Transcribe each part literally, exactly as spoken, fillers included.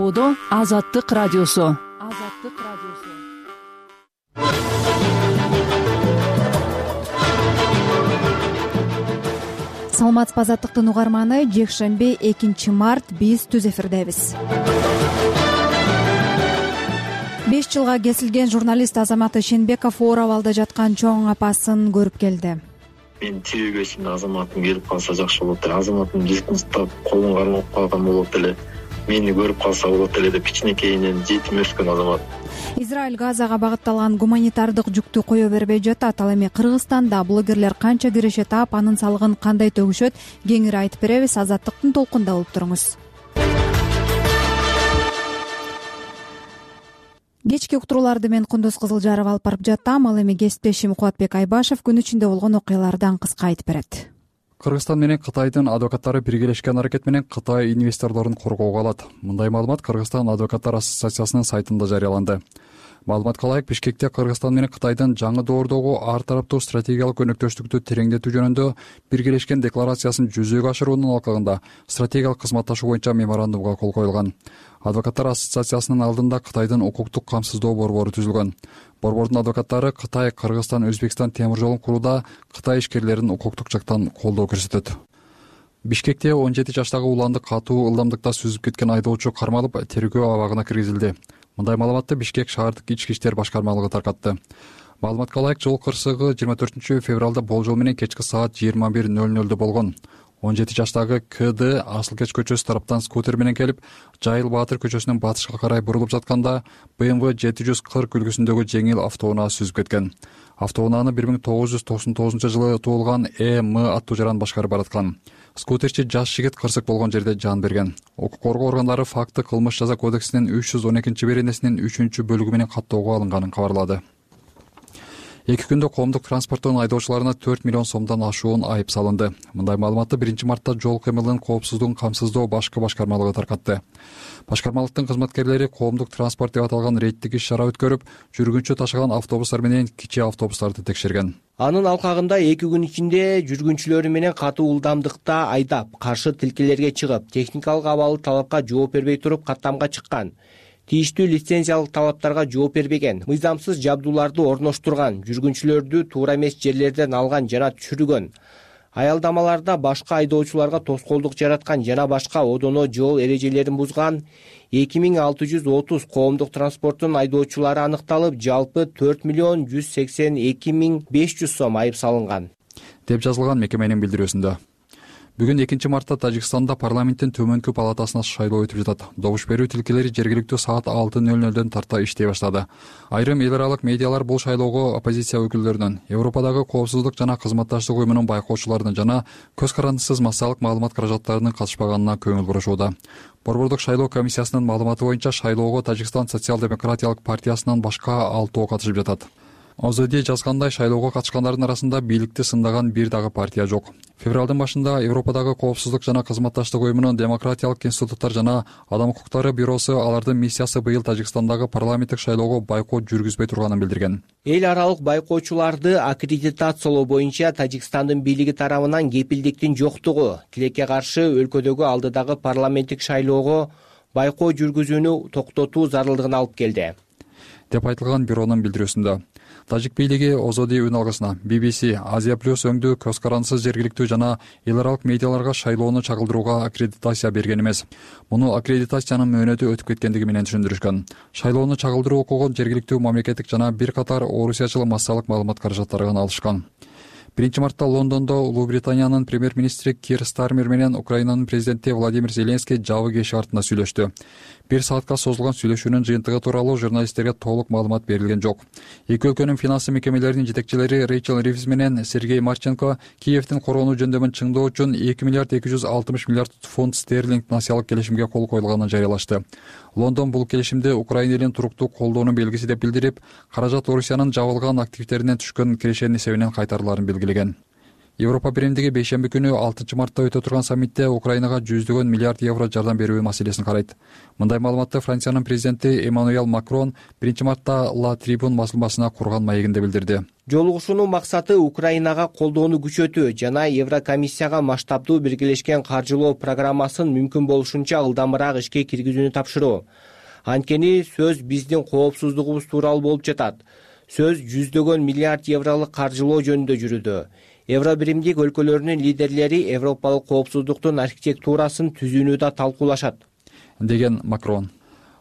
Чаршоодо Азаттык радиосу. Азаттык радиосу. Саламатсызбы Азаттыктын угарманы, жекшемби экинчи март биз түз эфирдебиз. беш жылга кесилген журналист Азамат Ишенбеков оор абалда жаткан чоң апасын көрүп келди. Мен тирүүгөсүндө Азаматым келип калса жакшы болот эле. Азаматым жыштын уктап, колун кармап калган болот эле. Мени көрүп калса болот эле деп кичинекейинен жетим өскөн Азамат. Израиль Газага багытталган гуманитардык жүктү кое бербей жатат. Ал эми Кыргызстанда блогерлер канча киреше таап, анын салыгын кандай төгүшөт, кеңири айтып беребиз. Азаттыктын толкунда болуп туруңуз. Кечки уктурууларды мен Кундуз Кызылжаров алып барып жаттым. Ал эми кесиптешим Кубатбек Айбашев күн ичинде болгон окуялардан кыска айтып берет. Кыргызстан менен Кытайдын адвокаттары биргелешкен аракет менен Кытай инвесторлорун коргоого алат. Мындай маалымат Кыргызстан адвокаттар ассоциациясынын сайтында жарыяланды. Маалыматка ылайык, Бишкекте Кыргызстан менен Кытайдын жаңы доордогу ар тараптуу стратегиялык өнөктөштүктү тереңдетүү жөнүндө биргелешкен декларациясын жүзөгө ашыруунун алкагында стратегиялык кызматташуу боюнча меморандумга кол коюлган. Адвокаттар ассоциациясынын алдында Кытайдын укуктук камсыздоо борбору түзүлгөн. Борбордун адвокаттары Кытай, Кыргызстан, Өзбекстан темир жолун курууда Кытай ишкерлерин укуктук жактан колдоо көрсөтөт. Бишкекте он жети жаштагы уланды катуу ылдамдыкта сүзүп кеткен айдоочу кармалып, тергөө абагына киргизилди. Мындай маалыматты Бишкек шаардык ички иштер башкармалыгы таркатты. Маалыматка ылайык, жол кырсыгы жыйырма төртүнчү февралда болжол менен кечки саат жыйырма бир ноль нольдо болгон. он жети жаштагы КД Асылкеч көчөсү тараптан скутер менен келип, Жайыл Баатыр көчөсүнөн батышка карай бурулуп жатканда бэ эм вэ жети жүз кырк үлгүсүндөгү жеңил автоунаа сүзүп кеткен. Автоунааны бир миң тогуз жүз токсон тогузунчу жылы туулган Э М аттуу жаран башкарып бараткан. Скутерчи жаш жигит кырсык болгон жерде жан берген. Укук коргоо органдары факты кылмыш жаза кодексинин үч жүз он экинчи беренесинин үчүнчү бөлүгү менен каттоого алынганын кабарлады. Эки күндө коомдук транспорттун айдоочуларына төрт миллион сомдон ашуун айып салынды. Мындай маалыматты биринчи мартта жол кыймылынын коопсуздугун камсыздоо башкы башкармалыгы таркатты. Башкармалыктын кызматкерлери коомдук транспорт деп аталган рейдтик иш-чара өткөрүп, жүргүнчү ташыган автобустар менен кичи автобустарды текшерген. Анын алкагында эки күн ичинде жүргүнчүлөрү менен катуу ылдамдыкта айдап, каршы тилкелерге чыгып, техникалык абалы талапка жооп бербей туруп каттамга чыккан. Тийиштүү лицензиялык талаптарга жооп бербеген, мыйзамсыз жабдууларды орноштурган, жүргүнчүлөрдү туура эмес жерлерден алган жана түшүргөн, аялдамаларда башка айдоочуларга тоскоолдук жараткан жана башка одоно жол эрежелерин бузган эки миң алты жүз отуз коомдук транспорттун айдоочулары аныкталып, жалпы төрт миллион жүз сексен эки миң беш жүз сом айып салынган, деп жазылган мекеменин билдирүүсүндө. Бүгүн экинчи мартта Тажикстанда парламенттин төмөнкү палатасына шайлоо өтүп жатат. Добуш берүү тилкелери жергиликтүү саат алты ноль нольдон тарта иштей баштады. Айрым эл аралык медиалар бул шайлоого оппозиция өкүлдөрүнүн, Европадагы коопсуздук жана кызматташтык уюмунун байкоочуларынын жана көз карандысыз массалык маалымат каражаттарынын катышпаганына көңүл бурушууда. Борбордук шайлоо комиссиясынын маалыматы боюнча шайлоого Тажикстан социал-демократиялык партиясынан башка алтоо катышып жатат. Озоди жазгандай, шайлоого катышкандардын арасында бийликти сындаган бир дагы партия жок. Февралдын башында Европадагы коопсуздук жана кызматташтык уюмунун демократиялык институттар жана адам укуктары бюросу алардын миссиясы быйыл Тажикстандагы парламенттик шайлоого байкот жүргүзбөй турганын билдирген. Эл аралык байкоочуларды аккредитациялоо боюнча Тажикстандын бийлиги тарабынан кепилдиктин жоктугу тилекке каршы өлкөдөгү алдыдагы парламенттик шайлоого байкоо жүргүзүүнү токтотуу зарылдыгына алып келди, деп айтылган бюронун билдирүүсүндө. Тажик бийлиги Озоди үн алгысына би би си, Азия плюс өңдүү көз карандысыз жергиликтүү жана эл аралык медиаларга шайлоону чагылдырууга аккредитация берген эмес. Муну аккредитациянын мөөнөтү өтүп кеткендиги менен түшүндүрүшкөн. Шайлоону чагылдыруу укугун жергиликтүү мамлекеттик жана бир катар орусиячыл массалык маалымат каражаттарынан алышкан. биринчи мартта Лондондо Улуу Британиянын премьер-министри Кир Стармер менен Украинанын президенти Владимир Зеленский жабык эшик артында сүйлөштү. Бир саатка созулган сүйлөшүүнүн жыйынтыгы тууралуу журналисттерге толук маалымат берилген жок. Эки өлкөнүн финансы мекемелеринин жетекчилери Рейчел Ривз менен Сергей Марченко Киевдин короону жөндөмүн чыңдоо үчүн эки миллиард эки жүз алтымыш миллиард фунт стерлинг насыялык келишимге кол коюлганын жарыялашты. Лондон бул келишимди Украина элин туруктуу колдоонун белгиси деп билдирип, каражат Орусиянын жабылган активдеринен түшкөн кирешенин эсебинен кайтарыларын белгилеген. Европа биримдиги бейшемби күнү алтынчы мартта өтө турган саммитте Украинага жүздөгөн миллиард евро жардам берүү маселесин карайт. Мындай маалыматты Франциянын президенти Эммануэль Макрон биринчи мартта Ла Трибун басылмасына курган маегинде билдирди. Жолугушуунун максаты Украинага колдоону күчөтүү жана Еврокомиссияга масштабдуу биргелешкен каржылоо программасын мүмкүн болушунча ылдамыраак ишке киргизүүнү тапшыруу. Анткени сөз биздин коопсуздугубуз тууралуу болуп жатат. Сөз жүздөгөн миллиард евролук каржылоо жөнүндө жүрүүдө. Евро биримдик өлкөлөрүнүн лидерлери европалык коопсуздуктун архитектурасын түзүүнү да талкуулашат, деген Макрон.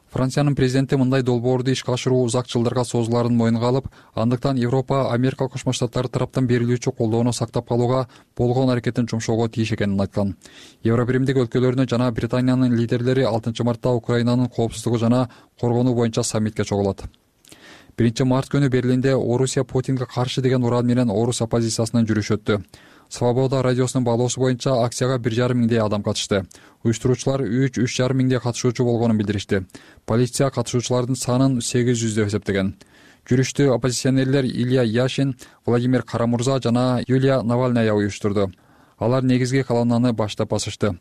Франциянын президенти мындай долбоорду ишке ашыруу узак жылдарга созулаарын мойнуна алып, андыктан Европа Америка Кошмо Штаттары тараптан берилүүчү колдоону сактап калууга болгон аракетин жумшоого тийиш экенин айткан. Евро биримдик өлкөлөрүнүн жана Британиянын лидерлери алтынчы мартта Украинанын коопсуздугу жана коргонуу боюнча саммитке чогулат. биринчи март күнү Берлинде Орусия Путинге каршы деген уран менен Орус оппозициясынын жүрүшү өттү. Свобода радиосунун баалоосу боюнча акцияга бир жарым миңдей адам катышты. Уюштуруучулар үч үч жарым миңдей катышуучу болгонун билдиришти. Полиция катышуучулардын санын сегиз жүз деп эсептеген. Жүрүштү оппозиционерлер Илья Яшин, Владимир Карамурза жана Юлия Навальная уюштурду. Алар негизги колоннаны баштап басышты.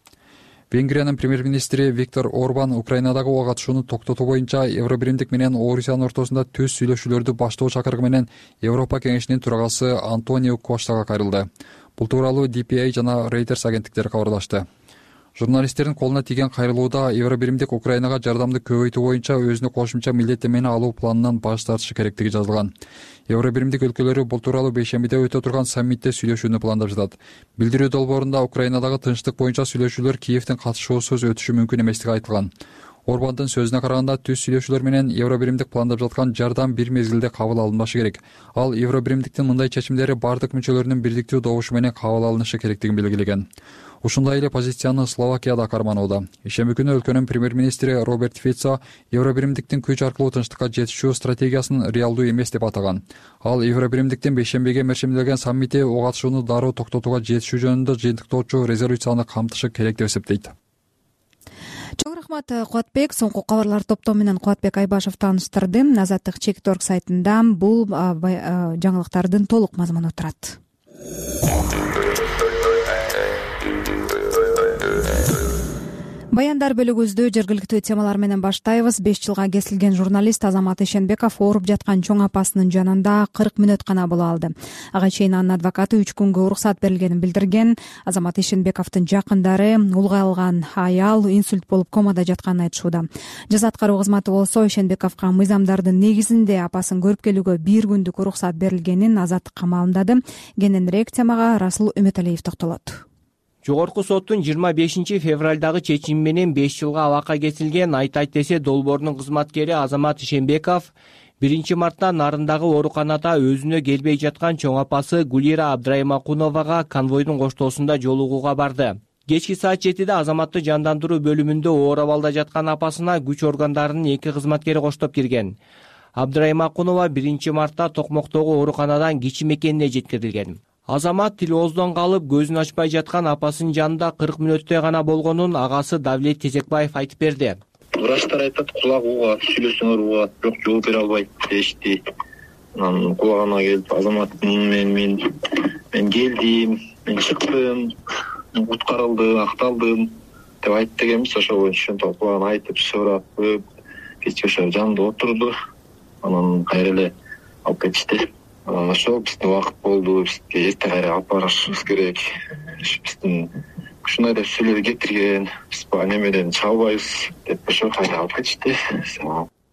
Венгриянын премьер-министри Виктор Орбан Украинадагы ого катышууну токтотуу боюнча Евро биримдик менен Орусиянын ортосунда түз сүйлөшүүлөрдү баштоо чакырыгы менен Европа кеңешинин төрагасы Антонио Коштага кайрылды. Бул тууралуу Ди Пи Эй жана Reuters агенттиктери кабарлашты. Журналисттердин колуна тийген кайрылууда Евро биримдик Украинага жардамды көбөйтүү боюнча өзүнө кошумча милдеттенмени алуу планынан баш тартышы керектиги жазылган. Евро биримдик өлкөлөрү бул тууралуу бейшембиде өтө турган саммитте сүйлөшүүнү пландап жатат. Билдирүү долбоорунда Украинадагы тынчтык боюнча сүйлөшүүлөр Киевдин катышуусуз өтүшү мүмкүн эместиги айтылган. Орбандын сөзүнө караганда түз сүйлөшүүлөр менен Евро биримдик пландап жаткан жардам бир мезгилде кабыл алынбашы керек. Ал Евро биримдиктин мындай чечимдери бардык мүчөлөрүнүн бирдиктүү добушу менен кабыл алынышы керектигин белгилеген. Ушундай эле позицияны Словакия да карманууда. Ишемби күнү өлкөнүн премьер-министри Роберт Фицо Евро биримдиктин күч аркылуу тынчтыкка жетишүү стратегиясын реалдуу эмес деп атаган. Ал Евро биримдиктин бейшембиге мерчимделген саммити ого катышууну дароо токтотууга жетишүү жөнүндө жыйынтыктоочу резолюцияны камтышы керек деп эсептейт. Чоң рахмат Кубатбек. Соңку кабарлар топтому менен Кубатбек Айбашев тааныштырды. Азаттык чек точка орг сайтында бул жаңылыктардын толук мазмуну турат. Баяндар бөлүгүбүздү жергиликтүү темалар менен баштайбыз. беш жылга кесилген журналист Азамат Ишенбеков ооруп жаткан чоң апасынын жанында кырк мүнөт гана боло алды. Ага чейин анын адвокаты үч күнгө уруксат берилгенин билдирген. Азамат Ишенбековдун жакындары улгайлган аял инсульт болуп комада жатканын айтышууда. Жаза аткаруу кызматы болсо Ишенбековго мыйзамдардын негизинде апасын көрүп келүүгө бир күндүк уруксат берилгенин азаттыкка маалымдады. Кененирээк темага Расул Үмөталиев токтолот. Жогорку соттун жыйырма бешинчи февралдагы чечими менен беш жылга абакка кесилген Айтайт десе долбоорунун кызматкери Азамат Ишенбеков биринчи мартта Нарындагы ооруканада өзүнө келбей жаткан чоң апасы Гулира Абдраймакуновага конвойдун коштоосунда жолугууга барды. Кечки саат жетиде Азаматты жандандыруу бөлүмүндө оор абалда жаткан апасына күч органдарынын эки кызматкери коштоп кирген. Абдраймакунова биринчи мартта Токмоктогу ооруканадан кичи мекенине жеткирилген. Азамат тил ооздон калып, көзүн ачпай жаткан апасынын жанында кырк мүнөттөй гана болгонун агасы Давлет Тезекбаев айтып берди. Врачтар айтат, кулак угат, сүйлөсөңөр угат, бирок жооп бере албайт дешти. Анан кулагына келип, Азамат мен мен мен келдим, мен чыктым, куткарылдым, акталдым деп айтты экенбиз. Ошо боюнча ошентип кулагына айтып, сурап, кечке ошо жанында отурду. Анан кайра эле алып кетишти. Ошол биздин убакыт болду, бизге эрте кайра алып барышыбыз керек. Биздин ушундай деп сүйлөп кетирген, биз бул немеден чыга албайбыз деп ошо кайра алып кетишти.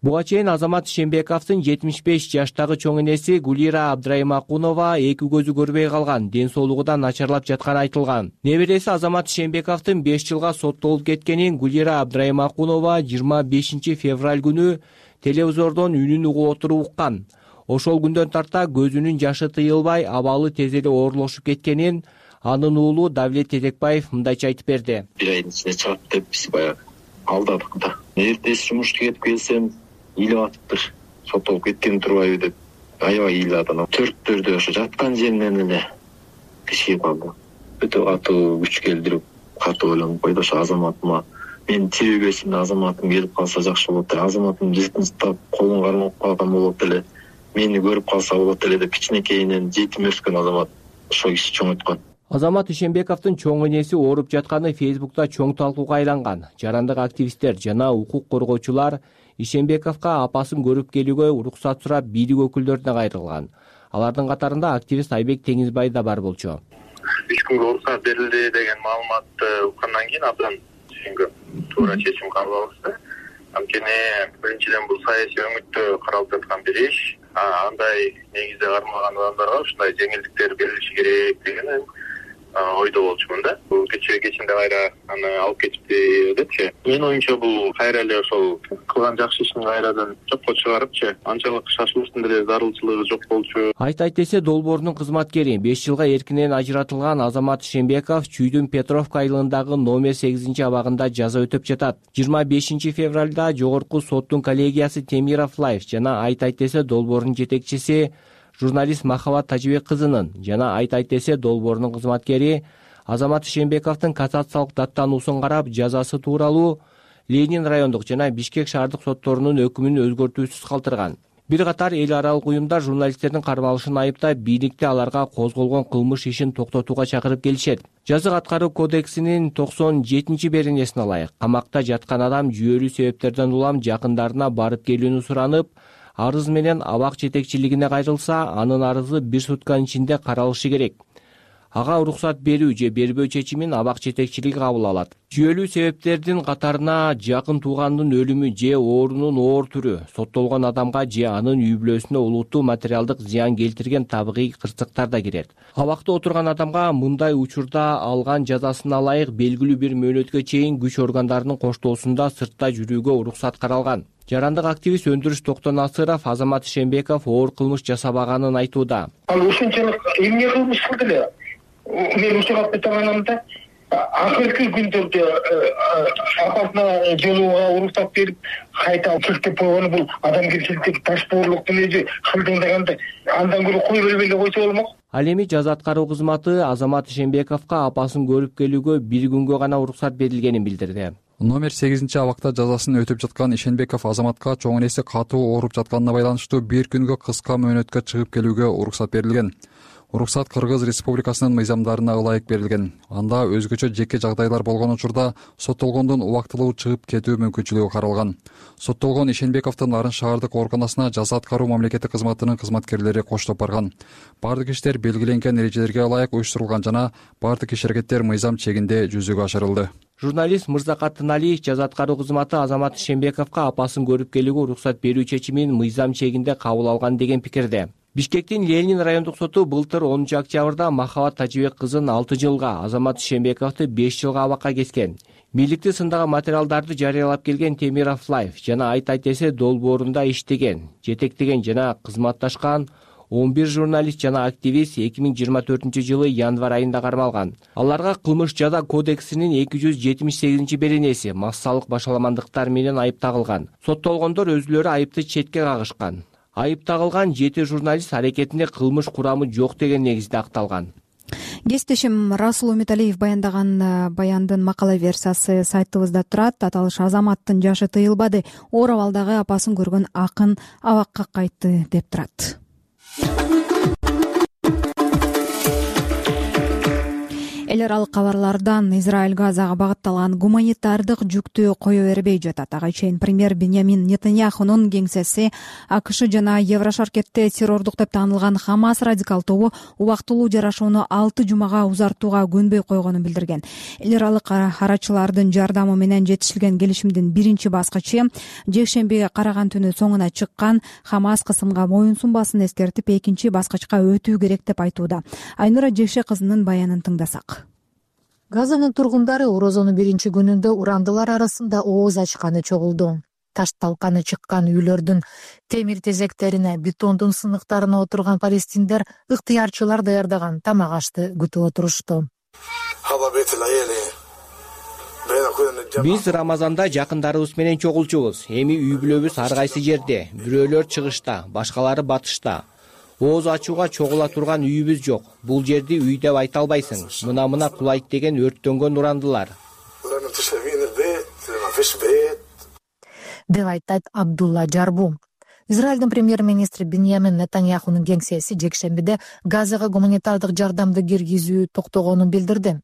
Буга чейин Азамат Ишенбековдун жетимиш беш жаштагы чоң энеси Гулира Абдраймакунова эки көзү көрбөй калган, ден соолугу да начарлап жатканы айтылган. Небереси Азамат Ишенбековдун беш жылга соттолуп кеткенин Гулира Абдраймакунова жыйырма бешинчи февраль күнү телевизордон үнүн угуп отуруп уккан. Ошол күндөн тарта көзүнүн жашы тыйылбай, абалы тез эле оорлошуп кеткенин анын уулу Давлет Тезекбаев мындайча айтып берди. Бир айдын ичинде чыгат деп биз баягы алдадык да. Эртеси жумушка кетип келсем, ыйлап атыптыр. Соттолуп кеткен турбайбы деп аябай ыйлады. Төрттөрдө ошо жаткан жеринен эле кичип калды. Өтө катуу күч келдирип, катуу ойлонуп койду. Ошо Азаматыма мен тийбегесинде Азаматым келип калса жакшы болот эле. Азаматым жыйынтыктап колун кармап калган болот эле. Мени көрүп калса болот эле деп кичинекейинен жетим өскөн Азамат ошол киши чоңойткон. Азамат Ишенбековдун чоң энеси ооруп жатканы Фейсбукта чоң талкууга айланган. Жарандык активисттер жана укук коргоочулар Ишенбековго апасын көрүп келүүгө уруксат сурап бийлик өкүлдөрүнө кайрылган. Алардын катарында активист Айбек Теңизбай да бар болчу. Үч күнгө уруксат берилди деген маалыматты уккандан кийин абдан түшүнгөм. Туура чечим кабыл алышты. Анткени биринчиден бул саясий өңүттө каралып жаткан бир иш. Андай негизде кармалган адамдарга ушундай жеңилдиктер берилиши керек деген ойдо болчумун да. Бул кечээ кечинде кайра аны алып кетипти депчи. Менин оюмча бул кайра эле ошол кылган жакшы ишин кайрадан жокко чыгарыпчы. Анчалык шашылыштын деле зарылчылыгы жок болчу. Айт Айтесе долбоорунун кызматкери беш жылга эркинен ажыратылган Азамат Ишенбеков Чүйдүн Петровка айылындагы номер сегизинчи абагында жаза өтөп жатат. жыйырма бешинчи февралда жогорку соттун коллегиясы Темиров Лайф жана Айт Айтесе долбоорунун жетекчиси журналист Махабат Тажибек кызынын жана Айт Айтесе долбоорунун кызматкери Азамат Ишенбековдун кассациялык даттануусун карап жазасы тууралуу Ленин райондук жана Бишкек шаардык сотторунун өкүмүн өзгөртүүсүз калтырган. Бир катар эл аралык уюмдар журналисттердин кармалышын айыптап, бийликти аларга козголгон кылмыш ишин токтотууга чакырып келишет. Жазык аткаруу кодексинин токсон жетинчи беренесине ылайык камакта жаткан адам жүйөлүү себептерден улам жакындарына барып келүүнү суранып, арыз менен абак жетекчилигине кайрылса, анын арызы бир сутканын ичинде каралышы керек. Ага уруксат берүү же бербөө чечимин абак жетекчилиги кабыл алат. Жүйөлүү себептердин катарына жакын туугандын өлүмү же оорунун оор түрү, соттолгон адамга же анын үй бүлөсүнө улуттуу материалдык зыян келтирген табигый кырсыктар да кирет. Абакта отурган адамга мындай учурда алган жазасына ылайык белгилүү бир мөөнөткө чейин күч органдарынын коштоосунда сыртта жүрүүгө уруксат каралган. Жарандык активист Өндүрүш Токтонасыров Азамат Ишенбеков оор кылмыш жасабаганын айтууда. Ал ушунчалык эмне кылмыш кылды эле? Мен учурап кеткенмде акыркы күндөрдө апасына жолууга уруксат берип, кайта чектеп койгону бул адамгерчиликтеги ташпоорлуктун өзү кылдыңдаганда андан көрө кой бербей эле койсо болмок. Ал эми жаза аткаруу кызматы Азамат Ишенбековго апасын көрүп келүүгө бир күнгө гана уруксат берилгенин билдирди. Номер сегизинчи абакта жазасын өтөп жаткан Ишенбеков Азаматка чоң энеси катуу ооруп жатканына байланыштуу бир күнгө кыска мөөнөткө чыгып келүүгө уруксат берилген. Уруксат Кыргыз Республикасынын мыйзамдарына ылайык берилген. Анда өзгөчө жеке жагдайлар болгон учурда соттолгондун убактылуу чыгып кетүү мүмкүнчүлүгү каралган. Соттолгон Ишенбековдун Нарын шаардык ооруканасына жаза аткаруу мамлекеттик кызматынын кызматкерлери коштоп барган. Бардык иштер белгиленген эрежелерге ылайык уюштурулган жана бардык иш-аракеттер мыйзам чегинде жүзөгө ашырылды. Журналист Мырзакат Тыналиев жаза аткаруу кызматы Азамат Ишенбековго апасын көрүп келүүгө уруксат берүү чечимин мыйзам чегинде кабыл алган деген пикирде. Бишкектин Ленин райондук соту былтыр онунчу октябрда Махабат Тажибек кызын алты жылга, Азамат Ишенбековду беш жылга абакка кескен. Бийликти сындаган материалдарды жарыялап келген Темиров Лайф жана Айт Айтесе долбоорунда иштеген, жетектеген жана кызматташкан он бир журналист жана активист эки миң жыйырма төртүнчү жылы январь айында кармалган. Аларга кылмыш жаза кодексинин эки жүз жетимиш сегизинчи беренеси массалык башаламандыктар менен айып тагылган. Соттолгондор өзүлөрү айыпты четке кагышкан. Айып тагылган жети журналист аракетинде кылмыш курамы жок деген негизде акталган. Кесиптешим Расул Умиталиев баяндаган баяндын макала версиясы сайтыбызда турат. Аталыш Азаматтын жашы тыйылбады, оор абалдагы апасын көргөн акын абакка кайтты деп турат. Эл аралык кабарлардан Израиль Газага багытталган гуманитардык жүктү кое бербей жатат. Ага чейин премьер Беньямин Нетаньяхунун кеңсеси АКШ жана Еврошаркетте террордук деп таанылган Хамас радикал тобу убактылуу жарашууну алты жумага узартууга көнбөй койгонун билдирген. Эл аралык арачылардын жардамы менен жетишилген келишимдин биринчи баскычы жекшембиге караган түнү соңуна чыккан. Хамас кысымга моюн сунбасын эскертип, экинчи баскычка өтүү керек деп айтууда. Айнура Жекше кызынын баянын тыңдасак. Газанын тургундары орозонун биринчи күнүндө урандылар арасында ооз ачканы чогулду. Таш талканы чыккан үйлөрдүн темир тезектерине, бетондун сыныктарына отурган палестиндер ыктыярчылар даярдаган тамак ашты күтүп отурушту. Биз Рамазанда жакындарыбыз менен чогулчубуз. Эми үй бүлөбүз ар кайсы жерде. Бирөөлөр чыгышта, башкалары батышта. Ооз ачууга чогула турган үйүбүз жок. Бул жерди үй деп айта албайсың. Мына-мына кулайт деген өрттөнгөн урандылар. Деп айтат Абдулла Жарбу. Израилдин премьер-министри Биньямин Нетаньяхунун кеңсеси жекшембиде Газага гуманитардык жардамды киргизүү токтогонун билдирди.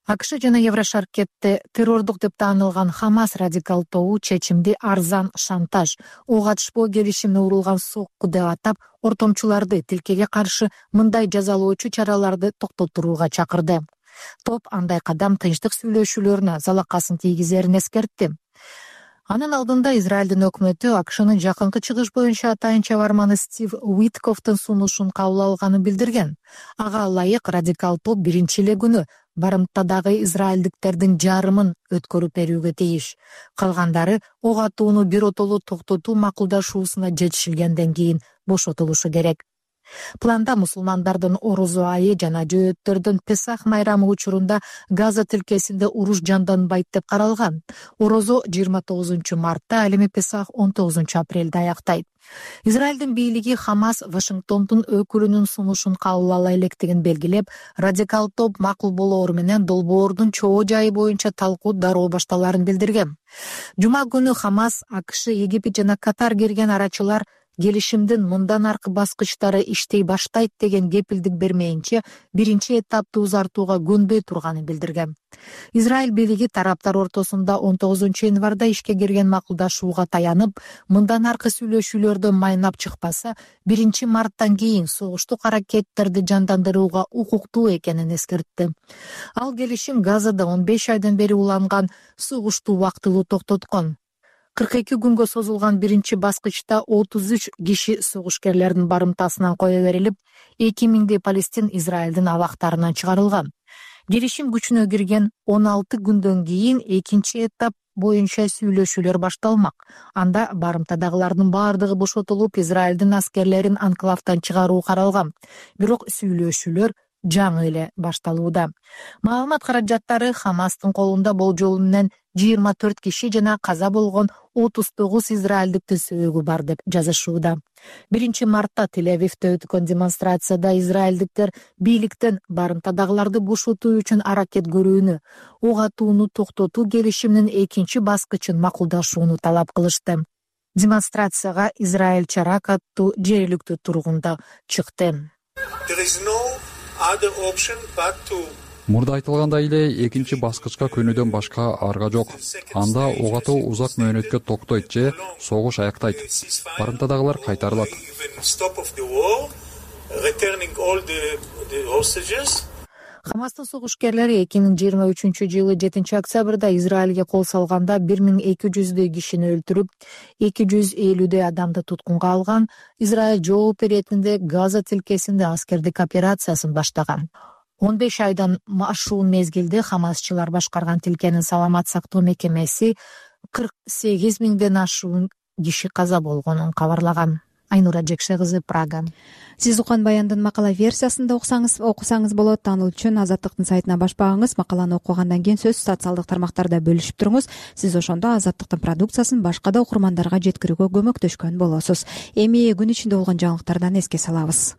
АКШ жана Еврошаркетте террордук деп таанылган Хамас радикал тобу чечимди арзан шантаж, ок атышпоо келишимине урулган сокку деп атап, ортомчуларды тилкеге каршы мындай жазалоочу чараларды токтотууга чакырды. Топ андай кадам тынчтык сүйлөшүүлөрүнө залакасын тийгизерин эскертти. Анын алдында Израилдин өкмөтү АКШнын жакынкы чыгыш боюнча атайын чабарманы Стив Уитковдун сунушун кабыл алганын билдирген. Ага ылайык радикал топ биринчи эле күнү барымтадагы израилдиктердин жарымын өткөрүп берүүгө тийиш. Калгандары ок атууну биротоло токтотуу макулдашуусуна жетишилгенден кийин бошотулушу керек. Планда мусулмандардын орозо айы жана жөөттөрдүн Песах майрамы учурунда Газа тилкесинде уруш жанданбайт деп каралган. Орозо жыйырма тогузунчу мартта, ал эми Песах он тогузунчу апрелде аяктайт. Израилдин бийлиги Хамас Вашингтондун өкүлүнүн сунушун кабыл ала электигин белгилеп, радикал топ макул болоору менен долбоордун чоо жайы боюнча талкуу дароо башталарын билдирген. Жума күнү Хамас, АКШ, Египет жана Катар кирген арачылар келишимдин мындан аркы баскычтары иштей баштайт деген кепилдик бермейинче биринчи этапты узартууга көнбөй турганын билдирген. Израиль бийлиги тараптар ортосунда он тогузунчу январда ишке кирген макулдашууга таянып, мындан аркы сүйлөшүүлөрдө майнап чыкпаса, биринчи марттан кийин согуштук аракеттерди жандандырууга укуктуу экенин эскертти. Ал келишим Газада он беш айдан бери уланган согушту убактылуу токтоткон. кырк эки күнгө созулган биринчи баскычта отуз үч киши согушкерлердин барымтасынан кое берилип, эки миңдей палестин Израилдин абактарынан чыгарылган. Келишим күчүнө кирген он алты күндөн кийин экинчи этап боюнча сүйлөшүүлөр башталмак. Анда барымтадагылардын баардыгы бошотулуп, Израилдин аскерлерин анклавдан чыгаруу каралган. Бирок сүйлөшүүлөр жаңы эле башталууда. Маалымат каражаттары Хамастын колунда болжолу менен жыйырма төрт киши жана каза болгон отуз тогуз израилдиктин сөөгү бар деп жазышууда. биринчи мартта Тель-Авивде өткөн демонстрацияда израилдиктер бийликтен барымтадагыларды бошотуу үчүн аракет көрүүнү, ок атууну токтотуу келишиминин экинчи баскычын макулдашууну талап кылышты. Демонстрацияга Израиль Чарак аттуу жергиликтүү тургунда чыкты. Мурда айтылгандай эле экинчи баскычка көнүүдөн башка арга жок. Анда ок атуу узак мөөнөткө токтойт же согуш аяктайт. Барымтадагылар кайтарылат. Хамастын согушкерлери эки миң жыйырма үчүнчү жылы жетинчи октябрда Израилге кол салганда бир миң эки жүздөй кишини өлтүрүп, эки жүз элүүдөй адамды туткунга алган. Израиль жооп иретинде Газа тилкесинде аскердик операциясын баштаган. он беш айдан ашуун мезгилде Хамасчылар башкарган тилкенин саламат сактоо мекемеси кырк сегиз миңден ашуун киши каза болгонун кабарлаган. Айнура Жекше кызы, Прага. Сиз уккан баяндын макала версиясында окусаңыз окусаңыз болот. Таануу үчүн Азаттыктын сайтына баш багыңыз. Макаланы окугандан кийин сөз социалдык тармактарда бөлүшүп туруңуз. Сиз ошондо Азаттыктын продукциясын башка да окурмандарга жеткирүүгө көмөктөшкөн болосуз. Эми күн ичинде болгон жаңылыктардан эске салабыз.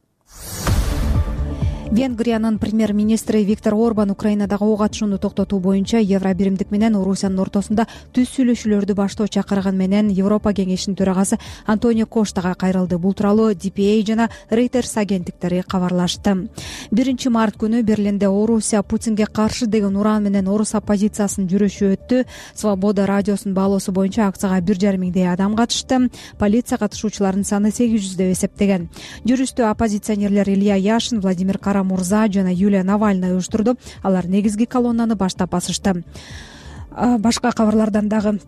Венгриянын премьер-министри Виктор Орбан Украинадагы ок атышууну токтотуу боюнча Евробиримдик менен Орусиянын ортосунда түз сүйлөшүүлөрдү баштоо чакырган менен Европа кеңешинин төрагасы Антонио Коштага кайрылды. Бул тууралуу ди пи эй жана Reuters агенттиктери кабарлашты. биринчи март күнү Берлинде Орусия Путинге каршы деген уран менен орус оппозициясынын жүрүшү өттү. Свобода радиосунун баалоосу боюнча акцияга бир жарым миңдей адам катышты. Полиция катышуучулардын саны сегиз жүз деп эсептеген. Жүрүштү оппозиционерлер Илья Яшин, Владимир Кара Мурза жана Юлия Навальная уюштурду. Алар негизги колоннаны баштап басышты. Башка кабарлардан дагы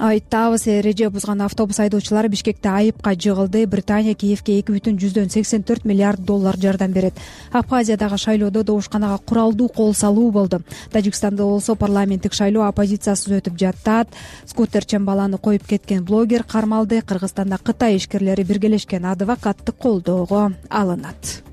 айтабыз. Эреже бузган автобус айдоочулары Бишкекте айыпка жыгылды. Британия Киевке эки бүтүн жүздөн сексен төрт миллиард доллар жардам берет. Абхазиядагы шайлоодо добушканага куралдуу кол салуу болду. Тажикстанда болсо парламенттик шайлоо оппозициясыз өтүп жатат. Скутерчен баланы коюп кеткен блогер кармалды. Кыргызстанда Кытай ишкерлери биргелешкен адвокатты колдоого алынат.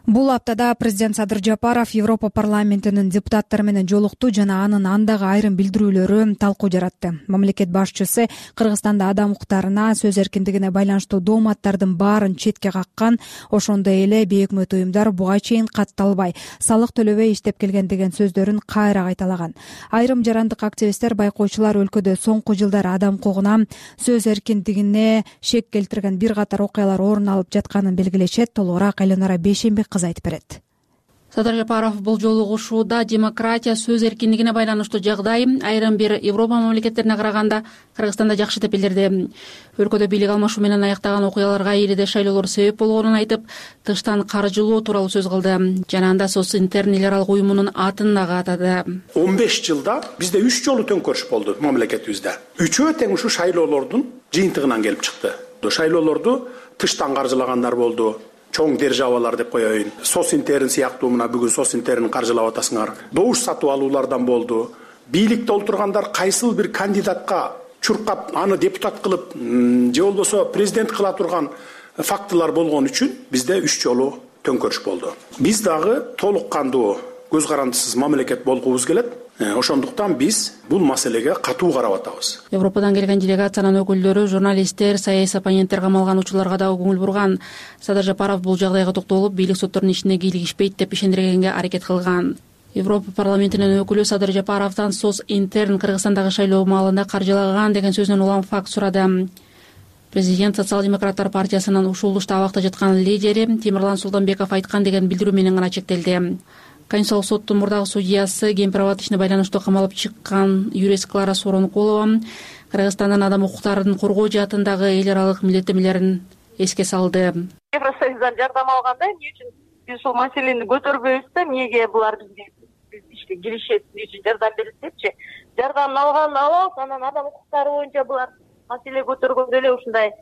Бул аптада президент Садыр Жапаров Европа парламентинин депутаттары менен жолукту жана анын андагы айрым билдирүүлөрү талкуу жаратты. Мамлекет башчысы Кыргызстанда адам укуктарына, сөз эркиндигине байланыштуу дооматтардын баарын четке каккан, ошондой эле бейөкмөт уюмдар буга чейин катталбай, салык төлөбөй иштеп келген деген сөздөрүн кайра кайталаган. Айрым жарандык активисттер, байкоочулар өлкөдө соңку жылдары адам укугуна, сөз эркиндигине шек келтирген бир катар окуялар орун алып жатканын белгилешет. Толугураак Эленора Бейшенбек айтып берет. Садыр Жапаров бул жолугушууда демократия, сөз эркиндигине байланыштуу жагдай айрым бир Европа мамлекеттерине караганда Кыргызстанда жакшы деп билдирди. Өлкөдө бийлик алмашуу менен аяктаган окуяларга элиде шайлоолор себеп болгонун айтып, тыштан каржылоо тууралуу сөз кылды. Жана анда Социнтерн эл аралык уюмунун атын дагы атады. он беш жылда бизде үч жолу төңкөрүш болду мамлекетибизде. Үчөө тең ушу шайлоолордун жыйынтыгынан келип чыкты. Шайлоолорду тыштан каржылагандар болду. Чоң державалар деп коеюн. Социнтерн сыяктуу мына бүгүн Социнтерн каржылап атасыңар. Добуш сатып алуулардан болду. Бийликте олтургандар кайсыл бир кандидатка чуркап, аны депутат кылып, же болбосо президент кыла турган фактылар болгон үчүн бизде үч жолу төңкөрүш болду. Биз дагы толук кандуу, көз карандысыз мамлекет болгубуз келет. Ошондуктан биз бул маселеге катуу карап атабыз. Европадан келген делегациянын өкүлдөрү, журналисттер, саясий оппоненттер камалган учурларга дагы көңүл бурган. Садыр Жапаров бул жагдайга токтолуп, бийлик соттордун ишине кийлигишпейт деп ишендиргенге аракет кылган. Европа парламентинин өкүлү Садыр Жапаровдон Социнтерн Кыргызстандагы шайлоо маалында каржылаган деген сөзүнөн улам факт сурады. Президент Социал-демократтар партиясынын ушул табакта жаткан лидери Темирлан Султанбеков айткан деген билдирүү менен гана чектелди. Конституциялык соттун мурдагы судьясы Гемпирабад ишине байланыштуу камалып чыккан юрист Клара Соронкулова Кыргызстандын адам укуктарын коргоо жаатындагы эл аралык милдеттенмелерин эске салды. Евросоюздан жардам алганда эмне үчүн биз ушул маселени көтөрбөйбүз да, эмнеге булар бизге биз ишке киришет, эмне үчүн жардам берет депчи. Жардам алган алат, анан адам укуктары боюнча булар маселе көтөргөндө эле ушундай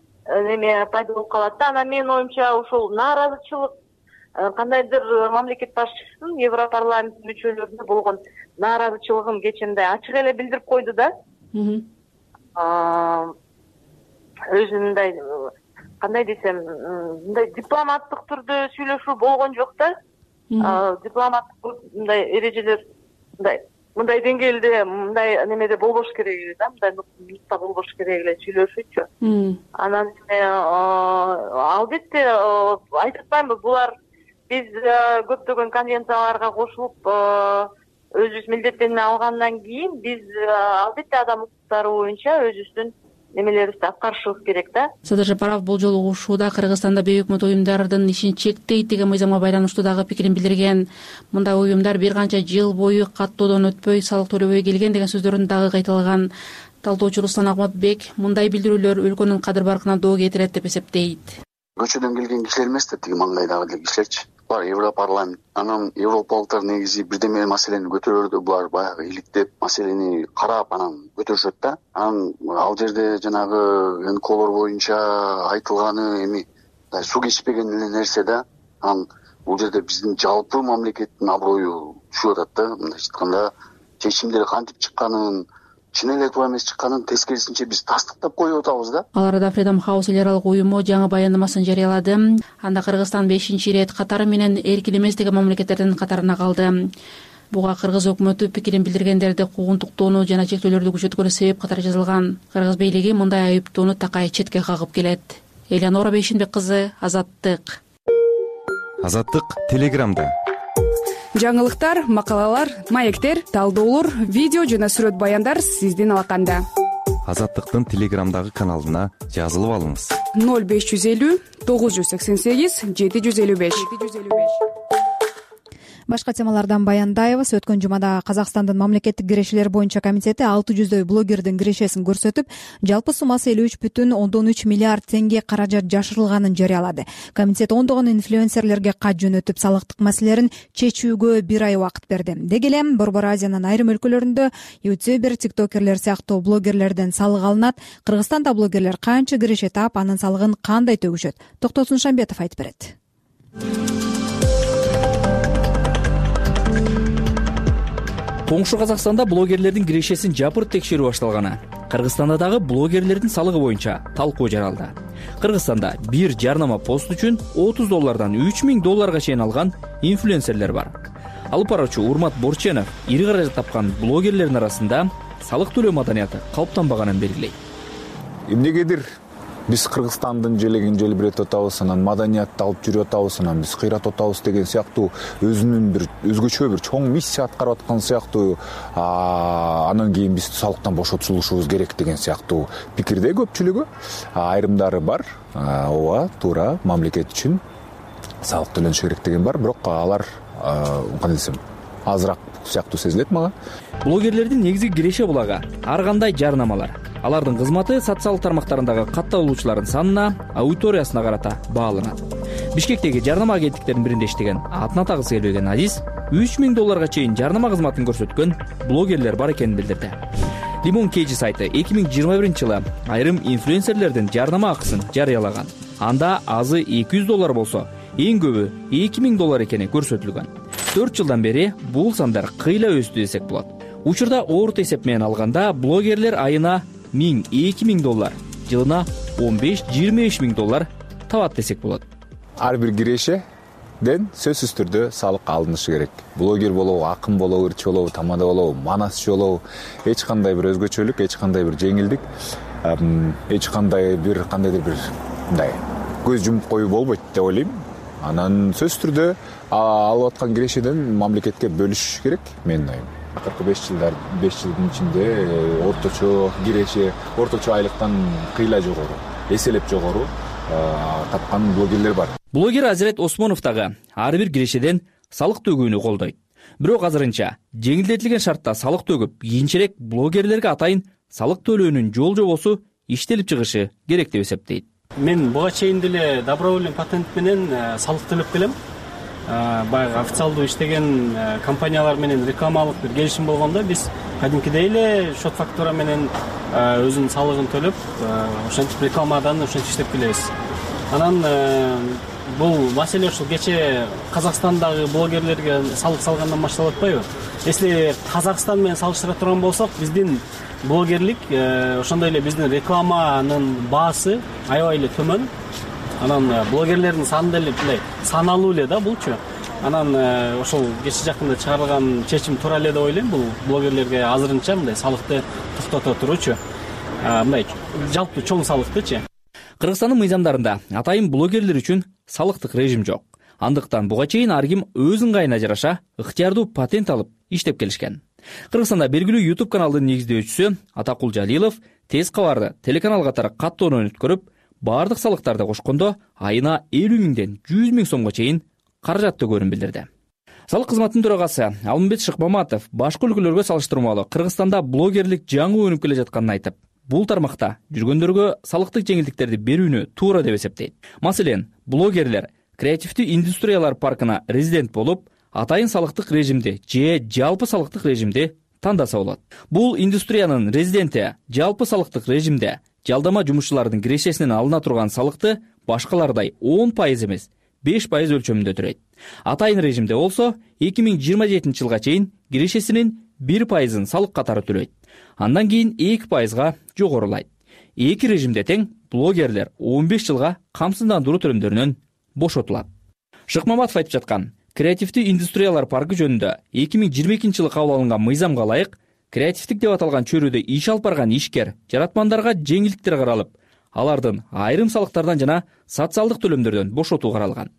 неме пайда болуп калат да. Анан менин оюмча ушул нааразычылык кандайдыр мамлекет башчысынын Европарламент мүчөлөрүнө болгон нааразычылыгын кечинде ачык эле билдирип койду да. Өзү мындай кандай десем, мындай дипломаттык түрдө сүйлөшүү болгон жок да. Дипломаттык мындай эрежелер мындай мындай деңгээлде, мындай немеде болбош керек эле да, мындай нукта болбош керек эле сүйлөшүүчү. Анан албетте айтып атпаймынбы, булар биз көптөгөн конвенцияларга кошулуп өзүбүз милдеттенме алгандан кийин биз албетте адам укуктары боюнча өзүбүздүн немелерибизди аткарышыбыз керек да. Садыр Жапаров бул жолугушууда Кыргызстанда бейөкмөт уюмдардын ишин чектейт деген мыйзамга байланыштуу дагы пикирин билдирген. Мындай уюмдар бир канча жыл бою каттоодон өтпөй, салык төлөбөй келген деген сөздөрүн дагы кайталаган. Талдоочу Руслан Акматбек мындай билдирүүлөр өлкөнүн кадыр баркына доо кетирет деп эсептейт. Көчөдөн келген кишилер эмес да, тиги маңдайдагы эле кишилерчи. Булар Европарламент, анан европалыктар негизи бирдеме маселени көтөрөрдө булар баягы иликтеп, маселени карап анан көтөрүшөт да. Анан ал жерде жанагы эн ка олор боюнча айтылганы эми суу кечпеген эле нерсе да. Анан бул жерде биздин жалпы мамлекеттин аброю түшүп атат да. Мындайча айтканда чечимдер кантип чыкканын, чын эле туура эмес чыкканын тескерисинче биз тастыктап коюп атабыз да. Ал арада Freedom House эл аралык уюму жаңы баяндамасын жарыялады. Анда Кыргызстан бешинчи ирет катары менен эркин эмес деген мамлекеттердин катарына калды. Буга кыргыз өкмөтү пикирин билдиргендерди куугунтуктоону жана чектөөлөрдү күчөткөнү себеп катары жазылган. Кыргыз бийлиги мындай айыптоону такай четке кагып келет. Эленора Бейшенбек кызы, Азаттык. Азаттык Телеграмда. Жаңылыктар, макалалар, маектер, талдоолор, видео жана сүрөт баяндар сиздин алаканда. Азаттыктын Телеграмдагы каналына жазылып алыңыз. ноль беш жүз элүү тогуз жүз сексен сегиз жети жүз элүү беш. Башка темалардан баяндайбыз. Өткөн жумада Казакстандын мамлекеттик кирешелер боюнча комитети алты жүздөй блогердин кирешесин көрсөтүп, жалпы суммасы элүү үч бүтүн ондон үч миллиард теңге каражат жашырылганын жарыялады. Комитет ондогон инфлюенсерлерге кат жөнөтүп, салыктык маселелерин чечүүгө бир ай убакыт берди. Деги эле Борбор Азиянын айрым өлкөлөрүндө ютубер, тиктокерлер сыяктуу блогерлерден салык алынат. Кыргызстанда блогерлер канча киреше таап, анын салыгын кандай төгүшөт? Токтосун Шамбетов айтып берет. Коңшу Казакстанда блогерлердин кирешесин жапырт текшерүү башталганы. Кыргызстанда дагы блогерлердин салыгы боюнча талкуу жаралды. Кыргызстанда бир жарнама пост үчүн отуз доллардан үч миң долларга чейин алган инфлюенсерлер бар. Алып баруучу Урмат Борченов ири каражат тапкан блогерлердин арасында салык төлөө маданияты калыптанбаганын белгилейт. Эмнегедир биз Кыргызстандын желегин желбиретип атабыз, анан маданиятты алып жүрүп атабыз, анан биз кыйратып атабыз деген сыяктуу өзүнүн бир өзгөчө бир чоң миссия аткарып аткан сыяктуу, анан кийин биз салыктан бошотулушубуз керек деген сыяктуу пикирде көпчүлүгү. Айрымдары бар, ооба, туура, мамлекет үчүн салык төлөнүшү керек деген бар, бирок алар кандай десем, азыраак сыяктуу сезилет мага. Блогерлердин негизги киреше булагы ар кандай жарнамалар. Алардын кызматы социалдык тармактарындагы катталуучулардын санына, аудиториясына карата бааланат. Бишкектеги жарнама агенттиктеринин биринде иштеген, атын атагысы келбеген Азиз үч миң долларга чейин жарнама кызматын көрсөткөн блогерлер бар экенин билдирди. Limon Kg сайты эки миң жыйырма биринчи жылы айрым инфлюенсерлердин жарнама акысын жарыялаган. Анда азы эки жүз доллар болсо, эң көбү эки миң доллар экени көрсөтүлгөн. төрт жылдан бери бул сандар кыйла өстү десек болот. Учурда орто эсеп менен алганда блогерлер айына миң эки миң доллар, жылына он беш жыйырма беш миң доллар табат десек болот. Ар бир кирешеден сөзсүз түрдө салык алынышы керек. Блогер болобу, акын болобу, ырчы болобу, тамада болобу, манасчы болобу, эч кандай бир өзгөчөлүк, эч кандай бир жеңилдик, эч кандай бир кандайдыр бир мындай көз жумуп коюу болбойт деп ойлойм. Анан сөзсүз түрдө алып аткан кирешеден мамлекетке бөлүш керек, менин оюм. Акыркы беш жылдар, беш жылдын ичинде орточо киреше, орточо айлыктан кыйла жогору, эселеп жогору тапкан блогерлер бар. Блогер Азирет Осмонов дагы ар бир кирешеден салык төгүүнү колдойт. Бирок азырынча жеңилдетилген шартта салык төгүп, кийинчерээк блогерлерге атайын салык төлөөнүн жол жобосу иштелип чыгышы керек деп эсептейт. Мен буга чейин деле добровольный патент менен салык төлөп келем. Баягы официалдуу иштеген компаниялар менен рекламалык бир келишим болгондо биз кадимкидей эле счет фактура менен өзүнүн салыгын төлөп, ошентип рекламадан ошентип иштеп келебиз. Анан бул маселе ушул кече Казакстандагы блогерлерге салык салгандан башталып атпайбы? Если Казакстан менен салыштыра турган болсок, биздин блогерлик ошондой эле биздин рекламанын баасы аябай эле төмөн. Анан блогерлердин саны деле мындай саналуу эле да булчу. Анан ошол кече жакында чыгарылган чечим туура эле деп ойлойм. Бул блогерлерге азырынча мындай салыкты токтото туручу. Мындай жалпы чоң салыктычы. Кыргызстандын мыйзамдарында атайын блогерлер үчүн салыктык режим жок. Андыктан буга чейин ар ким өз ыңгайына жараша ыктыярдуу патент алып иштеп келишкен. Кыргызстанда белгилүү YouTube каналдын негиздөөчүсү Атакул Жалилов тез кабарды телеканал катары каттоонун өткөрүп, бардык салыктарды кошкондо айына элүү миңден жүз миң сомго чейин каражат төгөөрүн билдирди. Салык кызматынын төрагасы Алмамбет Шыкмаматов башка өлкөлөргө салыштырмалуу Кыргызстанда блогерлик жаңы өнүп келе жатканын айтып, бул тармакта жүргөндөргө салыктык жеңилдиктерди берүүнү туура деп эсептейт. Маселен, блогерлер креативдүү индустриялар паркына резидент болуп, атайын салыктык режимди же жалпы салыктык режимди тандаса болот. Бул индустриянын резиденти жалпы салыктык режимде жалдама жумушчулардын кирешесинен алына турган салыкты башкалардай он пайыз эмес, беш пайыз өлчөмүндө төлөйт. Атайын режимде болсо эки миң жыйырма жетинчи жылга чейин кирешесинин бир пайызын салык катары төлөйт. Андан кийин эки пайызга жогорулайт. Эки режимде тең блогерлер он беш жылга камсыздандыруу төлөмдөрүнөн бошотулат. Шыкмаматов айтып жаткан креативдүү индустриялар паркы жөнүндө эки миң жыйырма экинчи жылы кабыл алынган мыйзамга ылайык креативдик деп аталган чөйрөдө иш алып барган ишкер, жаратмандарга жеңилдиктер каралып, алардын айрым салыктардан жана социалдык төлөмдөрдөн бошотуу каралган.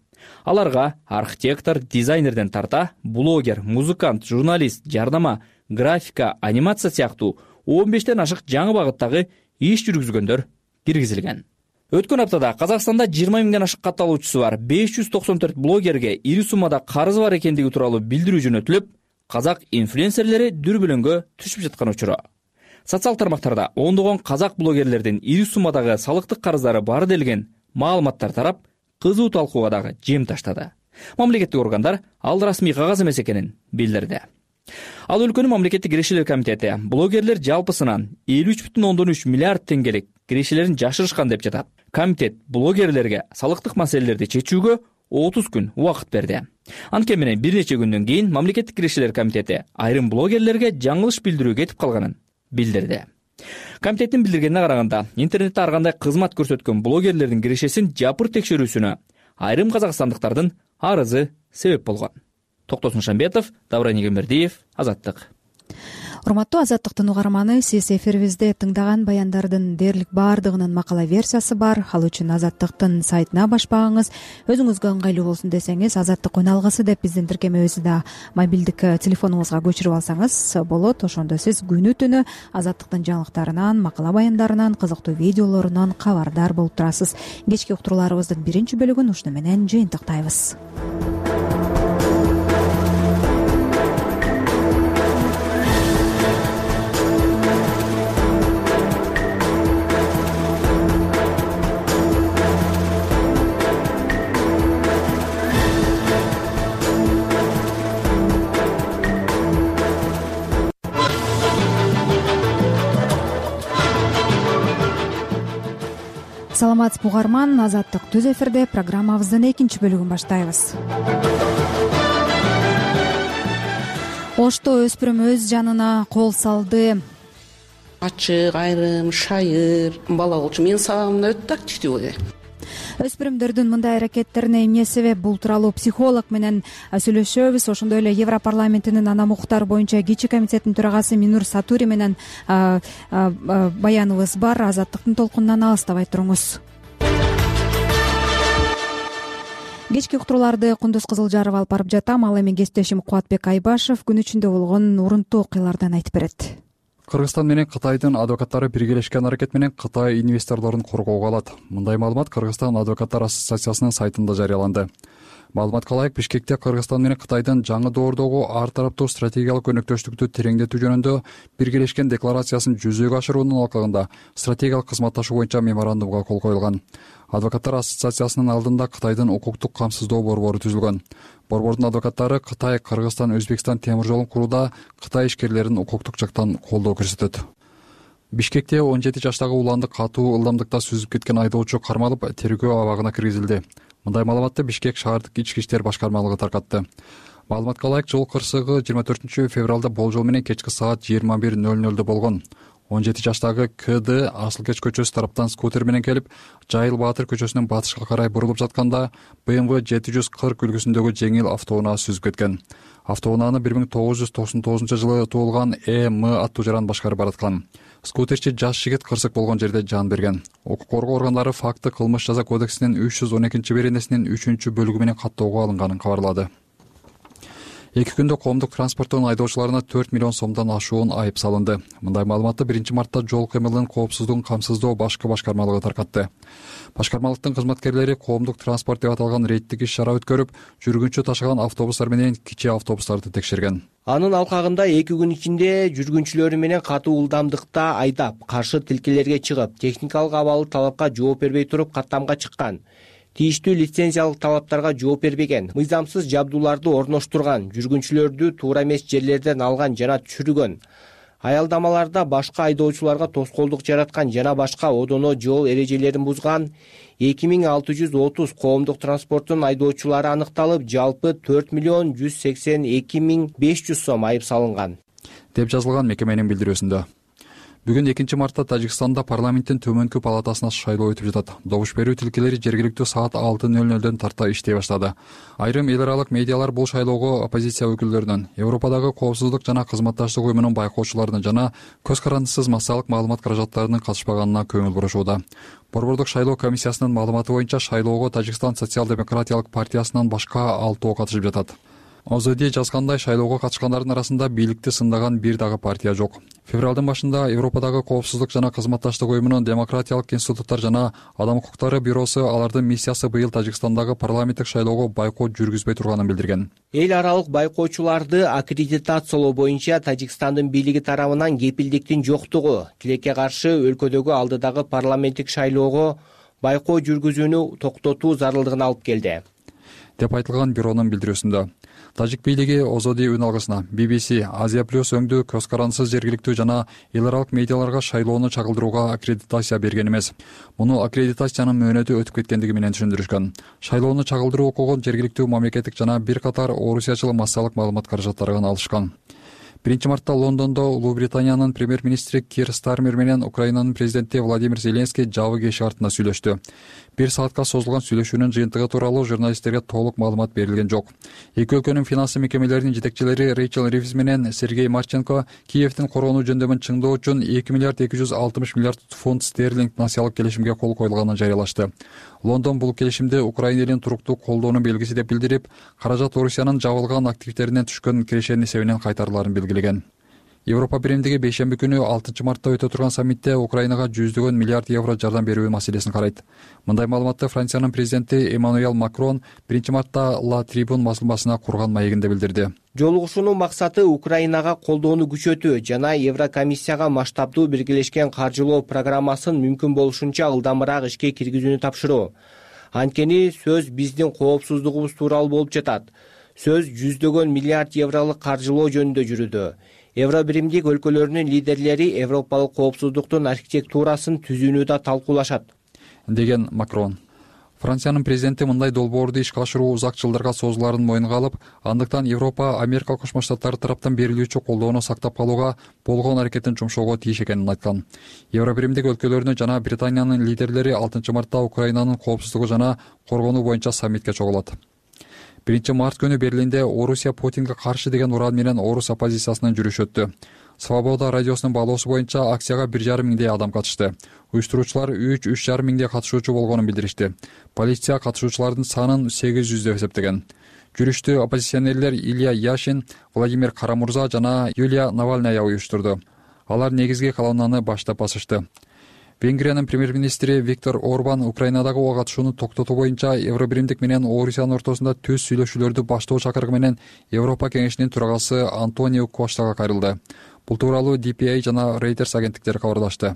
Аларга архитектор, дизайнерден тарта, блогер, музыкант, журналист, жарнама, графика, анимация сыяктуу он бештен ашык жаңы багыттагы иш жүргүзгөндөр киргизилген. Өткөн аптада Казакстанда жыйырма миңден ашык катталуучусу бар беш жүз токсон төрт блогерге ири суммада карызы бар экендиги тууралуу билдирүү жөнөтүлүп, казак инфлюенсерлери дүрбөлөңгө түшүп жаткан учуру. Социал тармактарда ондогон казак блогерлердин ири суммадагы салыктык карыздары бар делген маалыматтар тарап, кызуу талкууга дагы жем таштады. Мамлекеттик органдар ал расмий кагаз эмес экенин билдирди. Ал өлкөнүн мамлекеттик кирешелер комитети блогерлер жалпысынан элүү үч бүтүн ондон үч миллиард теңгелик кирешелерин жашырышкан деп жатат. Комитет блогерлерге салыктык маселелерди чечүүгө отуз күн убакыт берди. Анткени менен бир нече күндөн кийин мамлекеттик кирешелер комитети айрым блогерлерге жаңылыш билдирүү кетип калганын билдирди. комитеттин билдиргенине караганда интернетте ар кандай кызмат көрсөткөн блогерлердин кирешесин жапыр текшерүүсүнө айрым казакстандыктардын арызы себеп болгон. Токтосун Шамбетов, Давран Егембердиев, Азаттык. Урматтуу Азаттыктын угарманы, сиз эфирибизде тыңдаган баяндардын дээрлик баардыгынын макала версиясы бар. Ал үчүн Азаттыктын сайтына баш багыңыз. Өзүңүзгө ыңгайлуу болсун десеңиз, Азаттык үналгысы деп биздин тиркемебизди да мобилдик телефонуңузга көчүрүп алсаңыз болот. Ошондо сиз күнү түнү Азаттыктын жаңылыктарынан, макала баяндарынан, кызыктуу видеолорунан кабардар болуп турасыз. Кечки уктурууларыбыздын биринчи бөлүгүн ушуну менен жыйынтыктайбыз. Саламатсызбы угарман, Азаттык түз эфирде программабыздын экинчи бөлүгүн баштайбыз. Ошто өспүрүм өз жанына кол салды. Ачык, айрым, шайыр бала болчу. Менин сабагымда өтө активдүү болду. Өспүрүмдөрдүн мындай аракеттерине эмне себеп? Бул тууралуу психолог менен сүйлөшөбүз. Ошондой эле Европарламентинин анам укуктар боюнча кичи комитетинин төрагасы Минур Сатури менен баяныбыз бар. Азаттыктын толкунунан алыстабай туруңуз. Кечки уктурууларды Кундуз Кызылжаров алып барып жатам. Ал эми кесиптешим Кубатбек Айбашев күн ичинде болгон урунттуу окуялардан айтып берет. Кыргызстан менен Кытайдын адвокаттары биргелешкен аракет менен Кытай инвесторлорун коргоого алат. Мындай маалымат Кыргызстан адвокаттар ассоциациясынын сайтында жарыяланды. Маалыматка ылайык, Бишкекте Кыргызстан менен Кытайдын жаңы доордогу ар тараптуу стратегиялык өнөктөштүктү тереңдетүү жөнүндө биргелешкен декларациясын жүзөгө ашыруунун алкагында стратегиялык кызматташуу боюнча меморандумга кол коюлган. Адвокаттар ассоциациясынын алдында Кытайдын укуктук камсыздоо борбору түзүлгөн. Борбордун адвокаттары Кытай, Кыргызстан, Өзбекстан темир жолун курууда Кытай ишкерлерин укуктук жактан колдоо көрсөтөт. Бишкекте он жети жаштагы уланды катуу ылдамдыкта сүзүп кеткен айдоочу кармалып, тергөө абагына киргизилди. Мындай маалыматты Бишкек шаардык ички иштер башкармалыгы таркатты. Маалыматка ылайык, жол кырсыгы жыйырма төртүнчү февралда болжол менен кечки саат жыйырма бир ноль нольдо болгон. он жети жаштагы КД Асылкеч көчөсү тараптан скутер менен келип, Жайыл Баатыр көчөсүнөн батышка карай бурулуп жатканда бэ эм вэ жети жүз кырк үлгүсүндөгү жеңил автоунаа сүзүп кеткен. Автоунааны бир миң тогуз жүз токсон тогузунчу жылы туулган Э М аттуу жаран башкарып бараткан. Скутерчи жаш жигит кырсык болгон жерде жан берген. Укук коргоо органдары факты кылмыш жаза кодексинин үч жүз он экинчи беренесинин үчүнчү бөлүгү менен каттоого алынганын кабарлады. Эки күндө коомдук транспорттун айдоочуларына төрт миллион сомдон ашуун айып салынды. Мындай маалыматты биринчи мартта жол кыймылынын коопсуздугун камсыздоо башкы башкармалыгы таркатты. Башкармалыктын кызматкерлери коомдук транспорт деп аталган рейдтик иш-чара өткөрүп, жүргүнчү ташыган автобустар менен кичи автобустарды текшерген. Анын алкагында эки күн ичинде жүргүнчүлөрү менен катуу ылдамдыкта айдап, каршы тилкелерге чыгып, техникалык абалы талапка жооп бербей туруп каттамга чыккан. Тийиштүү лицензиялык талаптарга жооп бербеген, мыйзамсыз жабдууларды орноштурган, жүргүнчүлөрдү туура эмес жерлерден алган жана түшүргөн, аялдамаларда башка айдоочуларга тоскоолдук жараткан жана башка одоно жол эрежелерин бузган эки миң алты жүз отуз коомдук транспорттун айдоочулары аныкталып, жалпы төрт миллион жүз сексен эки миң беш жүз сом айып салынган, деп жазылган мекеменин билдирүүсүндө. Бүгүн экинчи мартта Тажикстанда парламенттин төмөнкү палатасына шайлоо өтүп жатат. Добуш берүү тилкелери жергиликтүү саат алты ноль нольдон тарта иштей баштады. Айрым эл аралык медиалар бул шайлоого оппозиция өкүлдөрүнөн, Европадагы коопсуздук жана кызматташтык уюмунун байкоочуларынын жана көз карандысыз массалык маалымат каражаттарынын катышпаганына көңүл бурушууда. Борбордук шайлоо комиссиясынын маалыматы боюнча шайлоого Тажикстан социал-демократиялык партиясынан башка алтоо катышып жатат. ОЗД жазгандай, шайлоого катышкандардын арасында бийликти сындаган бир дагы партия жок. Февралдын башында Европадагы коопсуздук жана кызматташтык уюмунун демократиялык институттар жана адам укуктары бюросу алардын миссиясы быйыл Тажикстандагы парламенттик шайлоого байкот жүргүзбөй турганын билдирген. Эл аралык байкоочуларды аккредитациялоо боюнча Тажикстандын бийлиги тарабынан кепилдиктин жоктугу тилекке каршы өлкөдөгү алдыдагы парламенттик шайлоого байкоо жүргүзүүнү токтотуу зарылдыгына алып келди, деп айтылган бюронун билдирүүсүндө. Тажик бийлиги ОЗД үн алгысына би би си, Азия плюс өңдүү көз карандысыз жергиликтүү жана эл аралык медиаларга шайлоону чагылдырууга аккредитация берген эмес. Муну аккредитациянын мөөнөтү өтүп кеткендиги менен түшүндүрүшкөн. Шайлоону чагылдыруу укугун жергиликтүү мамлекеттик жана бир катар орусиячыл массалык маалымат каражаттарынан алышкан. биринчи мартта Лондондо Улуу Британиянын премьер-министри Кир Стармер менен Украинанын президенти Владимир Зеленский жабык эшик артында сүйлөштү. Бир саатка созулган сүйлөшүүнүн жыйынтыгы тууралуу журналисттерге толук маалымат берилген жок. Эки өлкөнүн финансы мекемелеринин жетекчилери Рейчел Ривз менен Сергей Марченко Киевдин коргонуу жөндөмүн чыңдоо үчүн эки миллиард эки жүз алтымыш миллиард фунт стерлинг насыялык келишимге кол коюлганын жарыялашты. Лондон бул келишимди Украина элин туруктуу колдоонун белгиси деп билдирип, каражат Орусиянын жабылган активдеринен түшкөн кирешенин эсебинен кайтарыларын белгилеген. Европа биримдиги бейшемби күнү алтынчы мартта өтө турган саммитте Украинага жүздөгөн миллиард евро жардам берүү маселесин карайт. Мындай маалыматты Франциянын президенти Эммануэл Макрон биринчи мартта Ла Трибун басылмасына курган маегинде билдирди. Жолугушуунун максаты Украинага колдоону күчөтүү жана Еврокомиссияга масштабдуу биргелешкен каржылоо программасын мүмкүн болушунча ылдамыраак ишке киргизүүнү тапшыруу. Анткени сөз биздин коопсуздугубуз тууралуу болуп жатат. Сөз жүздөгөн миллиард евролук каржылоо жөнүндө жүрүүдө. Евробиримдик өлкөлөрүнүн лидерлери европалык коопсуздуктун архитектурасын түзүүнү да талкуулашат, деген Макрон. Франциянын президенти мындай долбоорду ишке ашыруу узак жылдарга созуларын мойнуна алып, андыктан Европа Америка Кошмо Штаттары тараптан берилүүчү колдоону сактап калууга болгон аракетин жумшоого тийиш экенин айткан. Евробиримдик өлкөлөрүнүн жана Британиянын лидерлери алтынчы мартта Украинанын коопсуздугу жана коргонуу боюнча саммитке чогулат. биринчи март күнү Берлинде Орусия Путинге каршы деген уран менен орус оппозициясынын жүрүшү өттү. Свобода радиосунун баалоосу боюнча акцияга бир жарым миңдей адам катышты. Уюштуруучулар үч үч жарым миңдей катышуучу болгонун билдиришти. Полиция катышуучулардын санын сегиз жүз деп эсептеген. Жүрүштү оппозиционерлер Илья Яшин, Владимир Карамурза жана Юлия Навальная уюштурду. Алар негизги колоннаны баштап басышты. Венгриянын премьер-министри Виктор Орбан Украинадагы ого катышууну токтотуу боюнча Евробиримдик менен Орусиянын ортосунда түз сүйлөшүүлөрдү баштоо чакырыгы менен Европа кеңешинин төрагасы Антонио Коштага кайрылды. Бул тууралуу Ди Пи Эй жана Reuters агенттиктери кабарлашты.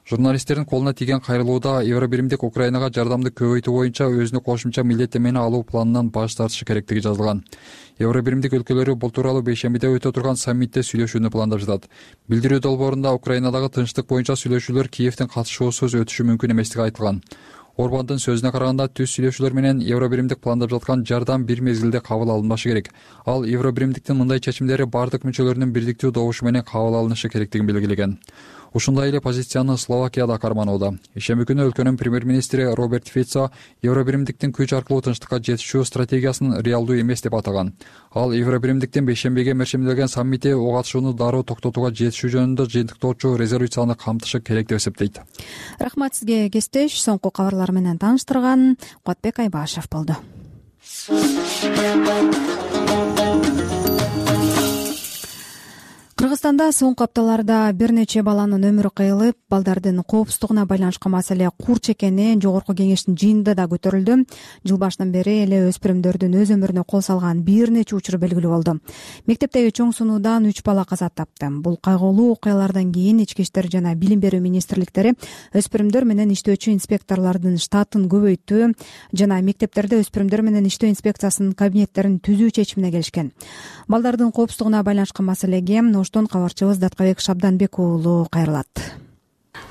Журналисттердин колуна тийген кайрылууда Евробиримдик Украинага жардамды көбөйтүү боюнча өзүнө кошумча милдеттенмени алуу планынан баш тартышы керектиги жазылган. Евробиримдик өлкөлөрү бул тууралуу бейшембиде өтө турган саммитте сүйлөшүүнү пландап жатат. Билдирүү долбоорунда Украинадагы тынчтык боюнча сүйлөшүүлөр Киевдин катышуусуз өтүшү мүмкүн эместиги айтылган. Орбандын сөзүнө караганда түз сүйлөшүүлөр менен Евробиримдик пландап жаткан жардам бир мезгилде кабыл алынбашы керек. Ал Евробиримдиктин мындай чечимдери бардык мүчөлөрүнүн бирдиктүү добушу менен кабыл алынышы керектигин белгилеген. Ушундай эле позицияны Словакия да карманууда. Ишемби күнү өлкөнүн премьер-министри Роберт Фицо Евробиримдиктин күч аркылуу тынчтыкка жетишүү стратегиясын реалдуу эмес деп атаган. Ал Евробиримдиктин бейшембиге мерчимделген саммити ого катышууну дароо токтотууга жетишүү жөнүндө жыйынтыктоочу резолюцияны камтышы керек деп эсептейт. Рахмат сизге, кесиптеш. Соңку кабарлар менен тааныштырган Куатбек Айбашев болду. Кыргызстанда соңку апталарда бир нече баланын өмүрү кыйылып, балдардын коопсуздугуна байланышкан маселе курч экени Жогорку кеңештин жыйынында да көтөрүлдү. Жыл башынан бери эле өспүрүмдөрдүн өз өмүрүнө кол салган бир нече учур белгилүү болду. Мектептеги чоң сунуудан үч бала каза тапты. Бул кайгылуу окуялардан кийин Ички иштер жана Билим берүү министрликтери өспүрүмдөр менен иштөөчү инспекторлордун штатын көбөйтүү жана мектептерде өспүрүмдөр менен иштөө инспекциясынын кабинеттерин түзүү чечимине келишкен. Балдардын коопсуздугуна байланышкан маселеге Оштон кабарчыбыз Даткабек Шабданбек уулу кайрылат.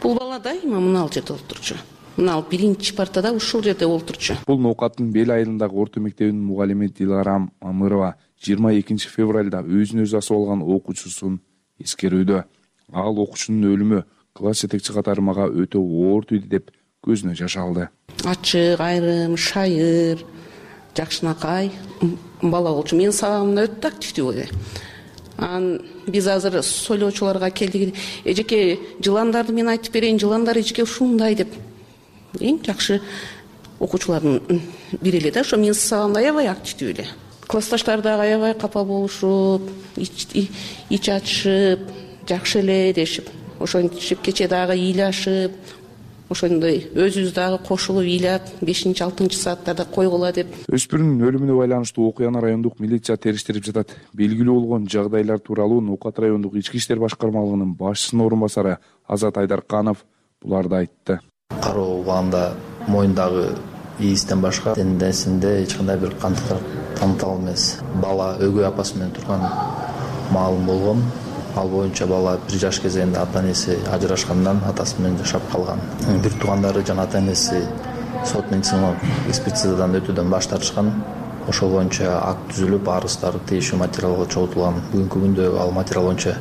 Бул бала дайыма мына жерде олтурчу. Мына биринчи партада ушул жерде олтурчу. Бул ноокаттын Бел айылындагы орто мектебинин мугалими Диларам Амырова жыйырма экинчи февралда өзүн өзү асып алган окуучусун эскерүүдө. Ал окуучунун өлүмү класс жетекчи катармага өтө оор тийди деп көзүнө жаш алды. Ачык, айрым, шайыр, жакшынакай бала болчу. Менин сабагымда өтө активдүү. Ан биз азыр сойлоочуларга келдик. Эжеке жыландарды мен айтып берейин, жыландар эжеке ушундай деп. Эң жакшы окуучулардын бири эле да, ошо менин сабагымда аябай активдүү эле. Классташтар да аябай капа болушуп, ич ачышып, жакшы эле дешип, ошентип кече дагы ыйлашып, ошондой өзүбүз дагы кошулуп ыйлап, бешинчи алтынчы сааттарда койгула деп. Өспүрүмдүн өлүмүнө байланыштуу окуяны райондук милиция териштирип жатат. Белгилүү болгон жагдайлар тууралуу Ноокат райондук ички иштер башкармалыгынын башчысынын орун басары Азат Айдарканов буларды айтты. Кароо убагында моюндагы ийистен башка денесинде эч кандай бир кандыктар танытал эмес. Бала өгөй апасы менен турган маалым болгон. Ал боюнча бала бир жаш кезегинде ата энеси ажырашкандан атасы менен жашап калган. Бир туугандары жана ата энеси сот медициналык экспертизадан өтүүдөн баш тартышкан. ошол боюнча акт түзүлүп арыздары тийиштүү материалга чогултулган. Бүгүнкү күндө ал материал боюнча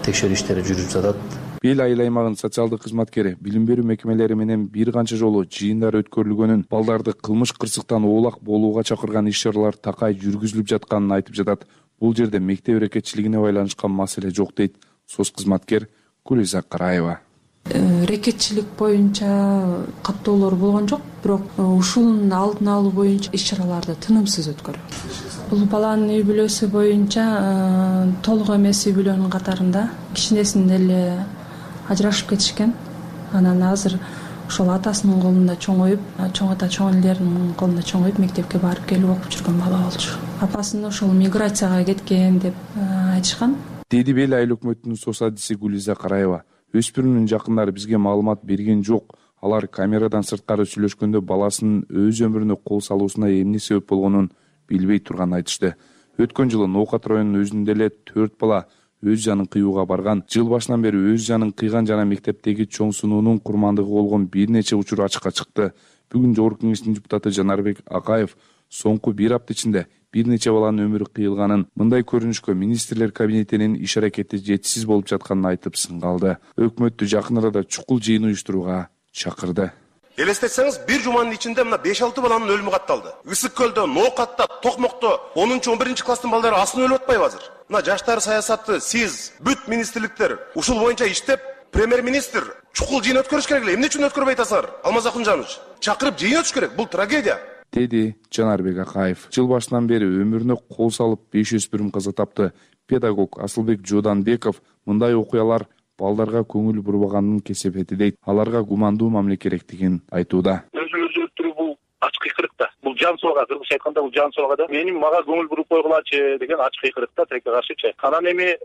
текшерүү иштери жүрүп жатат. Бел айыл аймагынын социалдык кызматкери билим берүү мекемелери менен бир канча жолу жыйындар өткөрүлгөнүн, балдарды кылмыш кырсыктан оолак болууга чакырган иш-чаралар такай жүргүзүлүп жатканын айтып жатат. Бул жерде мектеп рекетчилигине байланышкан маселе жок дейт соц кызматкер Гүлиза Караева. Рекетчилик боюнча каттоолор болгон жок, бирок ушунун алдын алуу боюнча иш-чараларды тынымсыз өткөрөт. Бул баланын үй бүлөсү боюнча толук эмес үй бүлөнүн катарында кичинесинде эле ажырашып кетишкен. Анан азыр ошол атасынын колунда чоңоюп, чоң ата чоң элдеринин колунда чоңоюп мектепке барып келип окуп жүргөн бала болчу. Апасын ошол миграцияга кеткен деп айтышкан. Деди Бел айыл өкмөтүнүн соц адиси Гүлиза Караева. Өспүрүмдүн жакындары бизге маалымат берген жок. Алар камерадан сырткары сүйлөшкөндө баласынын өз өмүрүнө кол салуусуна эмне себеп болгонун билбей турганын айтышты. Өткөн жылы Ноокат районунун өзүндө эле төрт бала өз жанын кыюуга барган. Жыл башынан бери өз жанын кыйган жана мектептеги чоң сунуунун курмандыгы болгон бир нече учур ачыкка чыкты. Бүгүн Жогорку Кеңештин депутаты Жанарбек Акаев соңку бир апта ичинде бир нече баланын өмүрү кыйылганын, мындай көрүнүшкө министрлер кабинетинин иш аракети жетишсиз болуп жатканын айтып сынгалды. Өкмөттү жакын арада чукул жыйын уюштурууга чакырды. Элестетсеңиз, бир жуманын ичинде мына беш алты баланын өлүмү катталды. Ысык көлдө, Ноокатта, Токмокто онунчу он биринчи класстын балдары асынып өлүп атпайбы азыр? Мына жаштар саясаты, сиз, бүт министрликтер ушул боюнча иштеп, премьер-министр чукул жыйын өткөрүш керек эле. Эмне үчүн өткөрбөй атасыңар? Алмаз Акунжанович, чакырып жыйын өтүш керек. Бул трагедия. Деди Жанарбек Акаев. Жыл башынан бери өмүрүнө кол салып беш өспүрүм каза тапты. Педагог Асылбек Жоданбеков мындай окуялар балдарга көңүл бурбаганын кесепети дейт. Аларга гумандуу мамиле керектигин айтууда. Өзү өлтүрүү бул ачык кыйкырыкта. Бул жан соога, кыргызча айтканда бул жан соога да. Менин мага көңүл буруп койгулачы деген ачык кыйкырыкта тилекке каршычы. Анан эми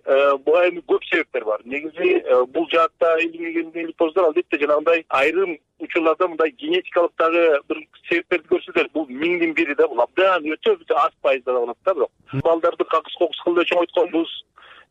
буга эми көп себептер бар. Негизи бул жаатта илимий поздор албетте жанагындай айрым учурларда мындай генетикалык дагы бир себептерди көрсөтөт. Бул миңдин бири да, бул абдан өтө аз пайызда болот да, бирок балдарды какыс кокус кылды чоңойтконбуз,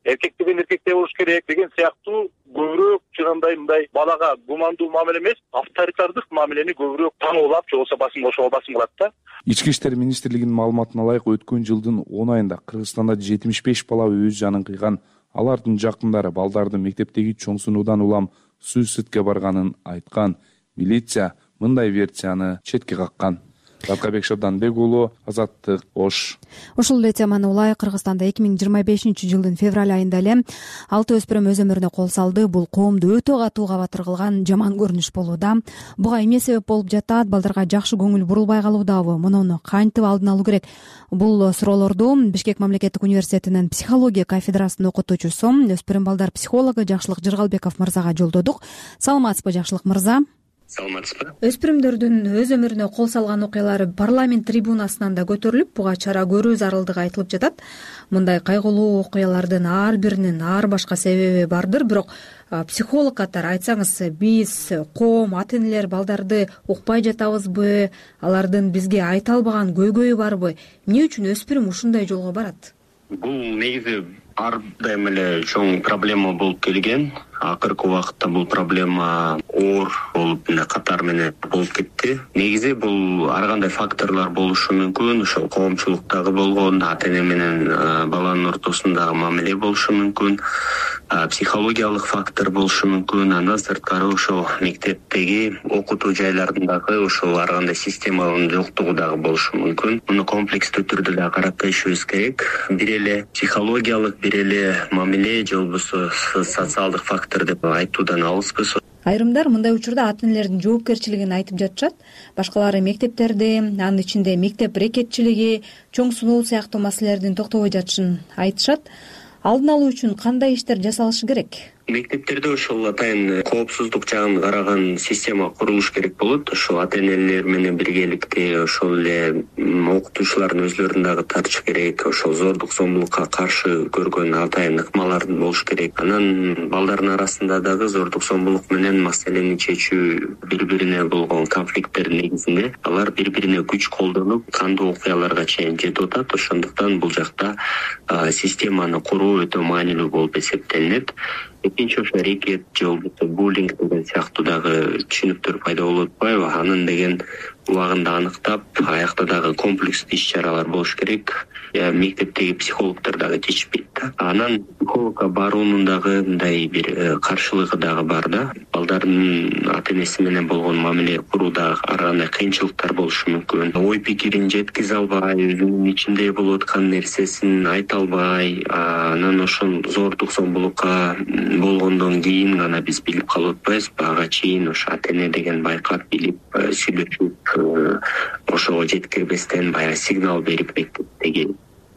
эркек деген эркектей болуш керек деген сыяктуу көбүрөөк жанагындай мындай балага гумандуу мамиле эмес, авторитардык мамилени көбүрөөк таңоолап, же болбосо басым ошого басым кылат да. Ички иштер министрлигинин маалыматына ылайык, өткөн жылдын он айында Кыргызстанда жетимиш беш бала өз жанын кыйган. Алардын жакындары балдарды мектептеги чоң сунуудан улам суицидке барганын айткан. Милиция мындай версияны четке каккан. Раткабек Шабданбек уулу, Азаттык, Ош. Ушул эле теманы улай Кыргызстанда эки миң жыйырма бешинчи жылдын февраль айында эле алты өспүрүм өз өмүрүнө кол салды. Бул коомду өтө катуу кабатыр кылган жаман көрүнүш болууда. Буга эмне себеп болуп жатат? Балдарга жакшы көңүл бурулбай калуудабы? Муну кантип алдын алуу керек? Бул суроолорду Бишкек мамлекеттик университетинин психология кафедрасынын окутуучусу, өспүрүм балдар психологу Жакшылык Жыргалбеков мырзага жолдодук. Саламатсызбы, Жакшылык мырза? Саламатсызбы. Өспүрүмдөрдүн өз өмүрүнө кол салган окуялары парламент трибунасынан да көтөрүлүп, буга чара көрүү зарылдыгы айтылып жатат. Мындай кайгылуу окуялардын ар биринин ар башка себеби бардыр, бирок психолог катары айтсаңыз, биз коом, ата энелер балдарды укпай жатабызбы? Алардын бизге айта албаган көйгөйү барбы? Эмне үчүн өспүрүм ушундай жолго барат? Бул негизи ар дайым эле чоң проблема болуп келген. Акыркы убакытта бул проблема оор болуп эле катар менен болуп кетти. Негизи бул ар кандай факторлор болушу мүмкүн. Ошол коомчулуктагы болгон ата эне менен баланын ортосундагы мамиле болушу мүмкүн. Психологиялык фактор болушу мүмкүн. Андан сырткары ошол мектептеги окутуу жайларындагы ошол ар кандай системанын жоктугу дагы болушу мүмкүн. Муну комплекстүү түрдө да карап көрүшүбүз керек. Бир эле психологиялык, бир эле мамиле же болбосо социалдык фактор деп айтуудан алыспыз. Айрымдар мындай учурда ата энелердин жоопкерчилигин айтып жатышат. Башкалары мектептерде, анын ичинде мектеп рекетчилиги, чоң сунуу сыяктуу маселелердин токтобой жатышын айтышат. Алдын алуу үчүн кандай иштер жасалышы керек? Мектептерде ошол атайын коопсуздук жагын караган система курулуш керек болот. Ошол ата энелер менен биргеликте ошол эле окутуучулардын өзлөрүн дагы тартыш керек. Ошол зордук зомбулукка каршы көргөн атайын ыкмалар болуш керек. Анан балдардын арасында дагы зордук зомбулук менен маселени чечүү, бири-бирине болгон конфликттердин негизинде алар бири-бирине күч колдонуп, кандуу окуяларга чейин жетип атат. Ошондуктан бул жакта системаны куруу өтө маанилүү болуп эсептелинет. экинчи ошо рекет же болбосо буллинг деген сыяктуу дагы түшүнүктөр пайда болуп атпайбы? Анын деген убагында аныктап, аякта дагы комплекстүү иш чаралар болуш керек. Мектептеги психологдор дагы жетишпейт да. Анан психологко баруунун дагы мындай бир каршылыгы дагы бар да. Балдардын ата энеси менен болгон мамиле курууда ар кандай кыйынчылыктар болушу мүмкүн. Ой пикирин жеткизе албай, өзүнүн ичинде болуп аткан нерсесин айта албай, анан ошол зордук зомбулукка болгондон кийин гана биз билип калып атпайбызбы? Ага чейин ошо ата эне деген байкап, билип, сүйлөшүп, ошого жеткирбестен баягы сигнал берип мектептеги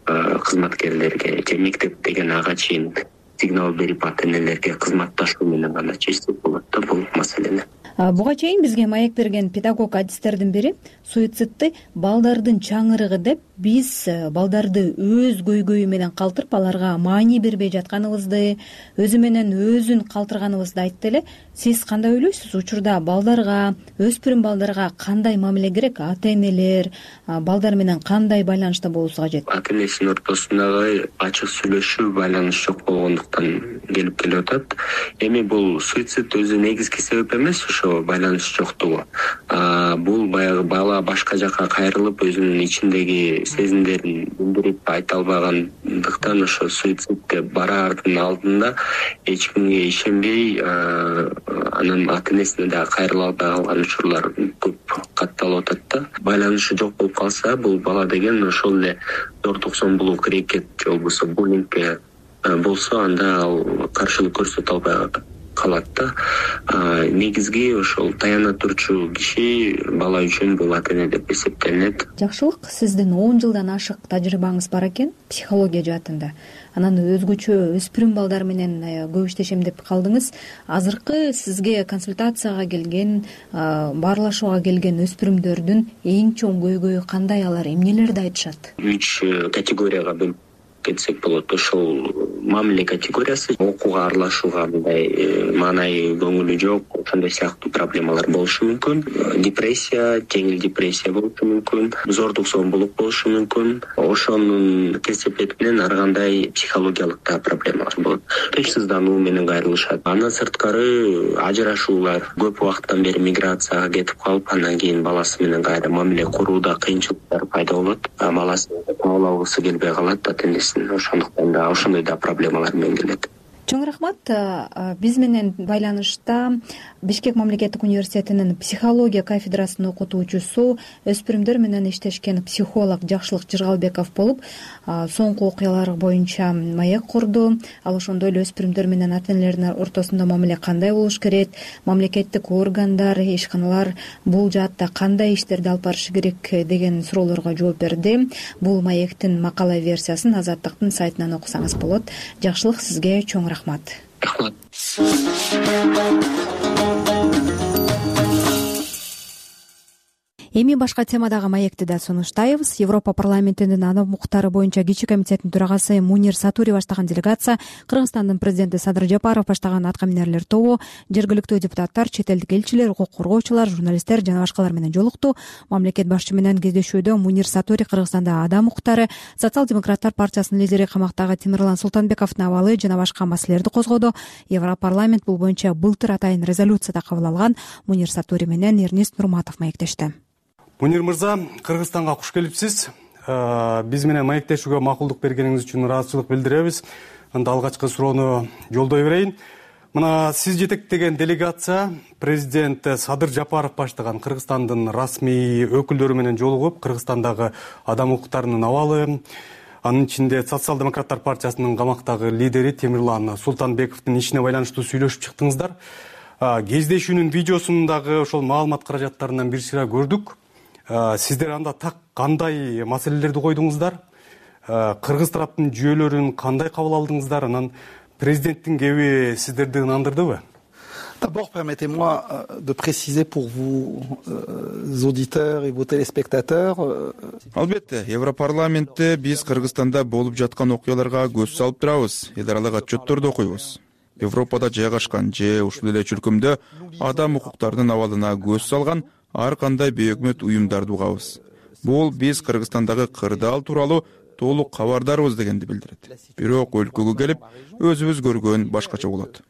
кызматкерлерге же мектеп деген ага чейин сигнал берип ата энелерге кызматташуу менен гана чечсек болот да бул маселени. Буга чейин бизге маек берген педагог адистердин бири суицидди балдардын чаңырыгы деп, биз балдарды өз көйгөйү менен калтырып, аларга маани бербей жатканыбызды, өзү менен өзүн калтырганыбызды айтты эле. Сиз кандай ойлойсуз? Учурда балдарга, өспүрүм балдарга кандай мамиле керек? Ата энелер балдар менен кандай байланышта болуусу кажет? Ата энесинин ортосундагы ачык сүйлөшүү, байланыш жок болгондуктан келип келип атат. Эми бул суицид өзү негизги себеп эмес, ошо байланыш жоктугу. Бул баягы бала башка жака кайрылып, өзүнүн ичиндеги сезимдерин билдирип айта албагандыктан ошо суицидке бараардын алдында эч кимге ишенбей, анан ата энесине дагы кайрыла албай калган учурлар көп катталып атат да. Байланышы жок болуп калса, бул бала деген ошол эле зордук зомбулук, рекет же болбосо буллингке болсо, анда ал каршылык көрсөтө албай калат да. Негизги ошол таяна турчу киши бала үчүн бул ата эне деп эсептелинет. Жакшылык, сиздин он жылдан ашык тажрыйбаңыз бар экен психология жаатында. Анан өзгөчө өспүрүм балдар менен көп иштешем деп калдыңыз. Азыркы сизге консультацияга келген, баарлашууга келген өспүрүмдөрдүн эң чоң көйгөйү кандай? Алар эмнелерди айтышат? Үч категорияга бөлүп кетсек болот. Ошол мамиле категориясы, окууга аралашууга мындай маанайы, көңүлү жок, ошондой сыяктуу проблемалар болушу мүмкүн. Депрессия, жеңил депрессия болушу мүмкүн, зордук зомбулук болушу мүмкүн. Ошонун кесепети менен ар кандай психологиялык да проблемалар болот. Тынчсыздануу менен кайрылышат. Андан сырткары ажырашуулар, көп убакыттан бери миграцияга кетип калып, андан кийин баласы менен кайра мамиле курууда кыйынчылыктар пайда болот. Баласын кабыл алгысы келбей калат ата энеси. Ошондуктан да ошондой да проблемалар менен келет. Чоң рахмат. Биз менен байланышта Бишкек мамлекеттик университетинин психология кафедрасынын окутуучусу, өспүрүмдөр менен иштешкен психолог Жакшылык Жыргалбеков болуп, соңку окуялар боюнча маек курду. Ал ошондой эле өспүрүмдөр менен ата энелердин ортосунда мамиле кандай болуш керек, мамлекеттик органдар, ишканалар бул жаатта кандай иштерди алып барышы керек деген суроолорго жооп берди. Бул маектин макала версиясын Азаттыктын сайтынан окусаңыз болот. Жакшылык, сизге чоң рахмат. Рахмат. Эми башка темадагы маекти да сунуштайбыз. Европа парламентинин адам укуктары боюнча кичи комитетинин төрагасы Мунир Сатури баштаган делегация, Кыргызстандын президенти Садыр Жапаров баштаган аткаминерлер тобу, жергиликтүү депутаттар, чет элдик элчилер, укук коргоочулар, журналисттер жана башкалар менен жолукту. Мамлекет башчы менен кездешүүдө Мунир Сатури Кыргызстанда адам укуктары, социал-демократтар партиясынын лидери камактагы Темирлан Султанбековдун абалы жана башка маселелерди козгоду. Европарламент бул боюнча былтыр атайын резолюция да кабыл алган. Мунир Сатури менен Эрнест Нурматов маектешти. Мунир мырза, Кыргызстанга куш келипсиз. Биз менен маектешүүгө макулдук бергениңиз үчүн ыраазычылык билдиребиз. Анда алгачкы суроону жолдой берейин. Мына сиз жетектеген делегация президент Садыр Жапаров баштаган Кыргызстандын расмий өкүлдөрү менен жолугуп, Кыргызстандагы адам укуктарынын абалы, анын ичинде социал-демократтар партиясынын камактагы лидери Темирлан Султанбековдун ишине байланыштуу сүйлөшүп чыктыңыздар. Кездешүүнүн видеосун дагы ошол маалымат каражаттарынан бир сыйра көрдүк. Сиздер анда так кандай маселелерди койдуңуздар? Кыргыз тараптын жүйөлөрүн кандай кабыл алдыңыздар? Анан президенттин кеби сиздерди ынандырдыбы? D'abord, permettez-moi de préciser pour vous, euh, auditeurs et vos téléspectateurs. Албетте, Европарламентте биз Кыргызстанда болуп жаткан окуяларга көз салып турабыз, эл аралык отчетторду окуйбуз. Европада жайгашкан же ушул эле чөлкөмдө адам укуктарынын абалына көз салган ар кандай бейөкмөт уюмдарды угабыз. Бул биз Кыргызстандагы кырдаал тууралуу толук кабардарбыз дегенди билдирет. Бирок өлкөгө келип, өзүбүз көргөн башкача болот.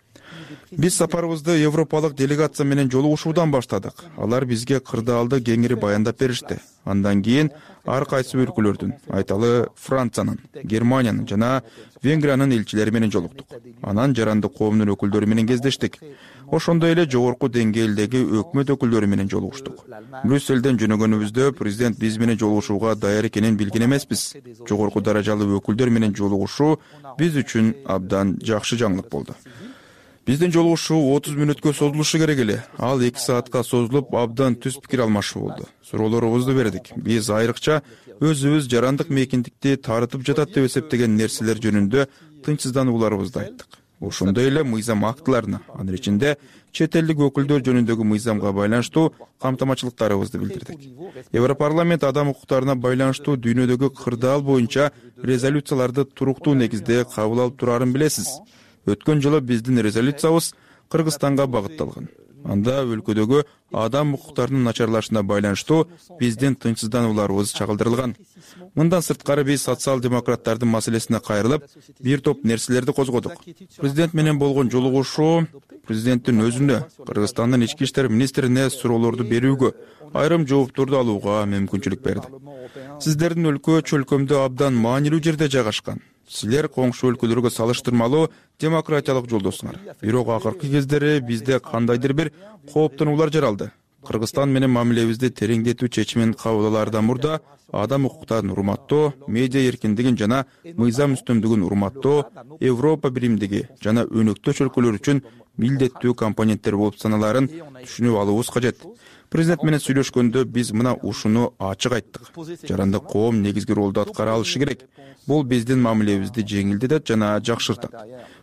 Биз сапарыбызды европалык делегация менен жолугушуудан баштадык. Алар бизге кырдаалды кеңири баяндап беришти. Андан кийин ар кайсы өлкөлөрдүн, айталы Франциянын, Германиянын жана Венгриянын элчилери менен жолуктук. Анан жарандык коомдун өкүлдөрү менен кездештик. Ошондой эле жогорку деңгээлдеги өкмөт өкүлдөрү менен жолугуштук. Брюсселден жөнөгөнүбүздө президент биз менен жолугушууга даяр экенин билген эмеспиз. Жогорку даражалуу өкүлдөр менен жолугушуу биз үчүн абдан жакшы жаңылык болду. Биздин жолугушуу отуз мүнөткө созулушу керек эле. Ал эки саатка созулуп, абдан түз пикир алмашуу болду. Суроолорубузду бердик. Биз айрыкча өзүбүз жарандык мейкиндикти тарытып жатат деп эсептеген нерселер жөнүндө тынчсызданууларыбызды айттык. Ошондой эле мыйзам актыларына, анын ичинде чет элдик өкүлдөр жөнүндөгү мыйзамга байланыштуу камтамачылыктарыбызды билдирдик. Европарламент адам укуктарына байланыштуу дүйнөдөгү кырдаал боюнча резолюцияларды туруктуу негизде кабыл алып турарын билесиз. Өткөн жылы биздин резолюциябыз Кыргызстанга багытталган. Анда өлкөдөгү адам укуктарынын начарлашына байланыштуу биздин тынчсызданууларыбыз чагылдырылган. Мындан сырткары биз социал-демократтардын маселесине кайрылып, бир топ нерселерди козгодук. Президент менен болгон жолугушуу президенттин өзүнө, Кыргызстандын ички иштер министрине суроолорду берүүгө, айрым жоопторду алууга мүмкүнчүлүк берди. Сиздердин өлкө чөлкөмдө абдан маанилүү жерде жайгашкан. Силер коңшу өлкөлөргө салыштырмалуу демократиялык жолдосуңар. Бирок акыркы кездери бизде кандайдыр бир кооптонуулар жаралды. Кыргызстан менен мамилебизди тереңдетүү чечимин кабыл алаардан мурда адам укуктарын урматтоо, медиа эркиндигин жана мыйзам үстөмдүгүн урматтоо Европа биримдиги жана өнөктөш өлкөлөр үчүн милдеттүү компоненттер болуп саналарын түшүнүп алуубуз кажет. Президент менен сүйлөшкөндө биз мына ушуну ачык айттык. Жарандык коом негизги ролду аткара алышы керек. Бул биздин мамилебизди жеңилдетет жана жакшыртат.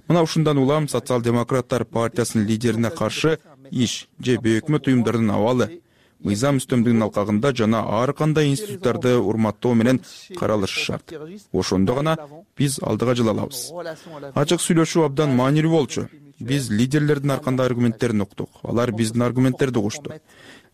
Мына ушундан улам социал-демократтар партиясынын лидерине каршы иш же бейөкмөт уюмдардын абалы мыйзам үстөмдүгүнүн алкагында жана ар кандай институттарды урматтоо менен каралышы шарт. Ошондо гана биз алдыга жыла алабыз. Ачык сүйлөшүү абдан маанилүү болчу. Биз лидерлердин ар кандай аргументтерин уктук. Алар биздин аргументтерди угушту.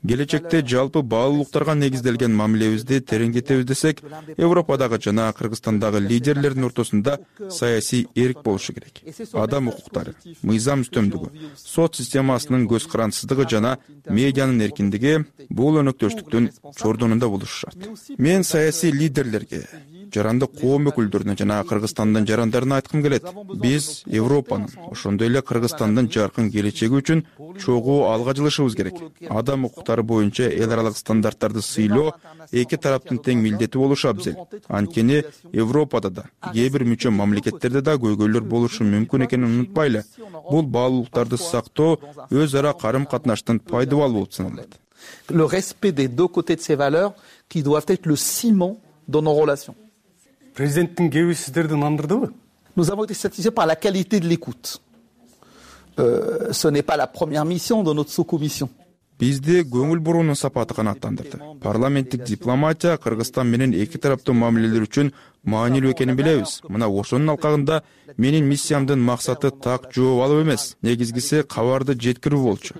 Келечекте жалпы баалуулуктарга негизделген мамилебизди тереңдетебиз десек, Европадагы жана Кыргызстандагы лидерлердин ортосунда саясий эрк болушу керек. Адам укуктары, мыйзам үстөмдүгү, сот системасынын көз карандысыздыгы жана медианын эркиндиги бул өнөктөштүктүн чордонунда болушу шарт. Мен саясий лидерлерге, жарандык коом өкүлдөрүнө жана Кыргызстандын жарандарына айткым келет. Биз Европанын, ошондой эле Кыргызстандын жаркын келечеги үчүн чогуу алга жылышыбыз керек. Адам укуктары боюнча эл аралык стандарттарды сыйлоо эки тараптын тең милдети болушу абзел. Анткени Европада да, кээ бир мүчө мамлекеттерде да көйгөйлөр болушу мүмкүн экенин унутпайлы. Бул баалуулуктарды сактоо өз ара карым-катнаштын пайдабалы болуп саналат. Le respect des deux côtés de ces valeurs qui doivent être le ciment de nos relations. Президенттин кеби сиздерди нандырдыбы? Nous avons été satisfaits par la qualité de l'écoute. Euh, ce n'est pas la première mission de notre sous-commission. Бизди көңүл буруунун сапаты канааттандырды. Парламенттик дипломатия Кыргызстан менен эки тараптуу мамилелер үчүн маанилүү экенин билебиз. Мына ошонун алкагында менин миссиямдын максаты так жооп алуу эмес, негизгиси кабарды жеткирүү болчу.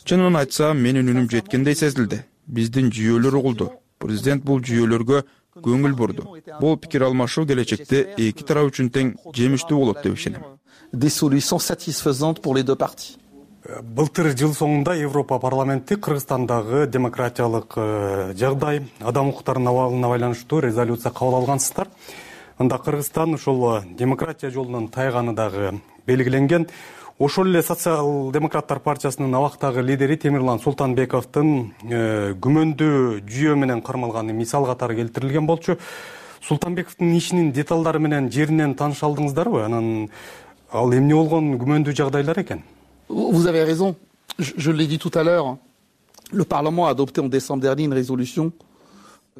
Чынын айтсам, менин үнүм жеткендей сезилди. Биздин жүйөлөр угулду. Президент бул жүйөлөргө көңүл бурду. Бул пикир алмашуу келечекте эки тарап үчүн тең жемиштүү болот деп ишенем. Des solutions satisfaisantes pour les deux parties. Былтыр жыл соңунда Европа парламенти Кыргызстандагы демократиялык жагдай, адам укуктарынын абалына байланыштуу резолюция кабыл алгансыздар. Анда Кыргызстан ошол демократия жолунан тайганы дагы белгиленген. Ошол эле социал-демократтар партиясынын абактагы лидери Темирлан Султанбековдун күмөндүү жүйө менен кармалганы мисал катары келтирилген болчу. Султанбековдун ишинин деталдары менен жеринен тааныша алдыңыздарбы? Анан ал эмне болгон күмөндүү жагдайлар экен? Vous avez raison. Je, je l'ai dit tout à l'heure. Le Parlement a adopté en décembre dernier une résolution.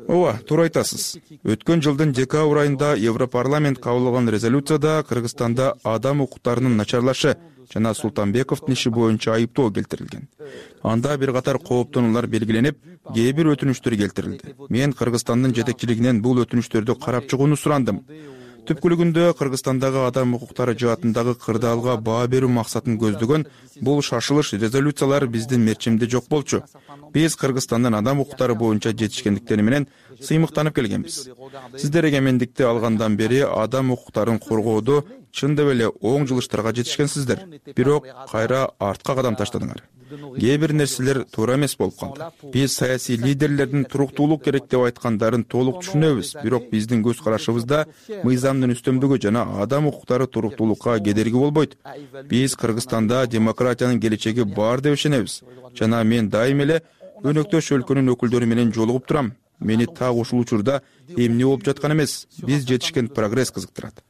Ооба, туура айтасыз. Өткөн жылдын декабрь айында Европарламент кабыл алган резолюцияда Кыргызстанда адам укуктарынын начарлашы жана Султанбековдун иши боюнча айыптоо келтирилген. Анда бир катар кооптонуулар белгиленип, кээ бир өтүнүчтөр келтирилди. Мен Кыргызстандын жетекчилигинен бул өтүнүчтөрдү карап чыгууну сурандым. Түпкүлүгүндө Кыргызстандагы адам укуктары жаатындагы кырдаалга баа берүү максатын көздөгөн бул шашылыш резолюциялар биздин мерчимде жок болчу. Биз Кыргызстандын адам укуктары боюнча жетишкендиктери менен сыймыктанып келгенбиз. Сиздер эгемендикти алгандан бери адам укуктарын коргоодо чындап эле оң жылыштарга жетишкенсиздер, бирок кайра артка кадам таштадыңар. Кээ бир нерселер туура эмес болуп калды. Биз саясий лидерлердин туруктуулук керек деп айткандарын толук түшүнөбүз, бирок биздин көз карашыбызда мыйзамдын үстөмдүгү жана адам укуктары туруктуулукка кедерги болбойт. Биз Кыргызстанда демократиянын келечеги бар деп ишенебиз жана мен дайым эле өнөктөш өлкөнүн өкүлдөрү менен жолугуп турам. Мени так ушул учурда эмне болуп жаткан эмес, биз жетишкен прогресс кызыктырат.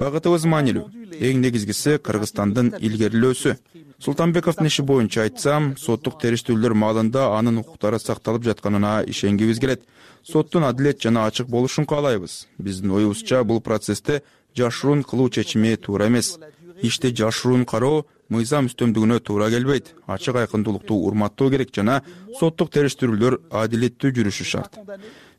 Багытыбыз маанилүү. Эң негизгиси Кыргызстандын илгерилөөсү. Султанбековдун иши боюнча айтсам, соттук териштирүүлөр маалында анын укуктары сакталып жатканына ишенгибиз келет. Соттун адилет жана ачык болушун каалайбыз. Биздин оюбузча бул процессте жашыруун кылуу чечими туура эмес. Ишти жашыруун кароо мыйзам үстөмдүгүнө туура келбейт. Ачык айкындуулукту урматтоо керек жана соттук териштирүүлөр адилеттүү жүрүшү шарт.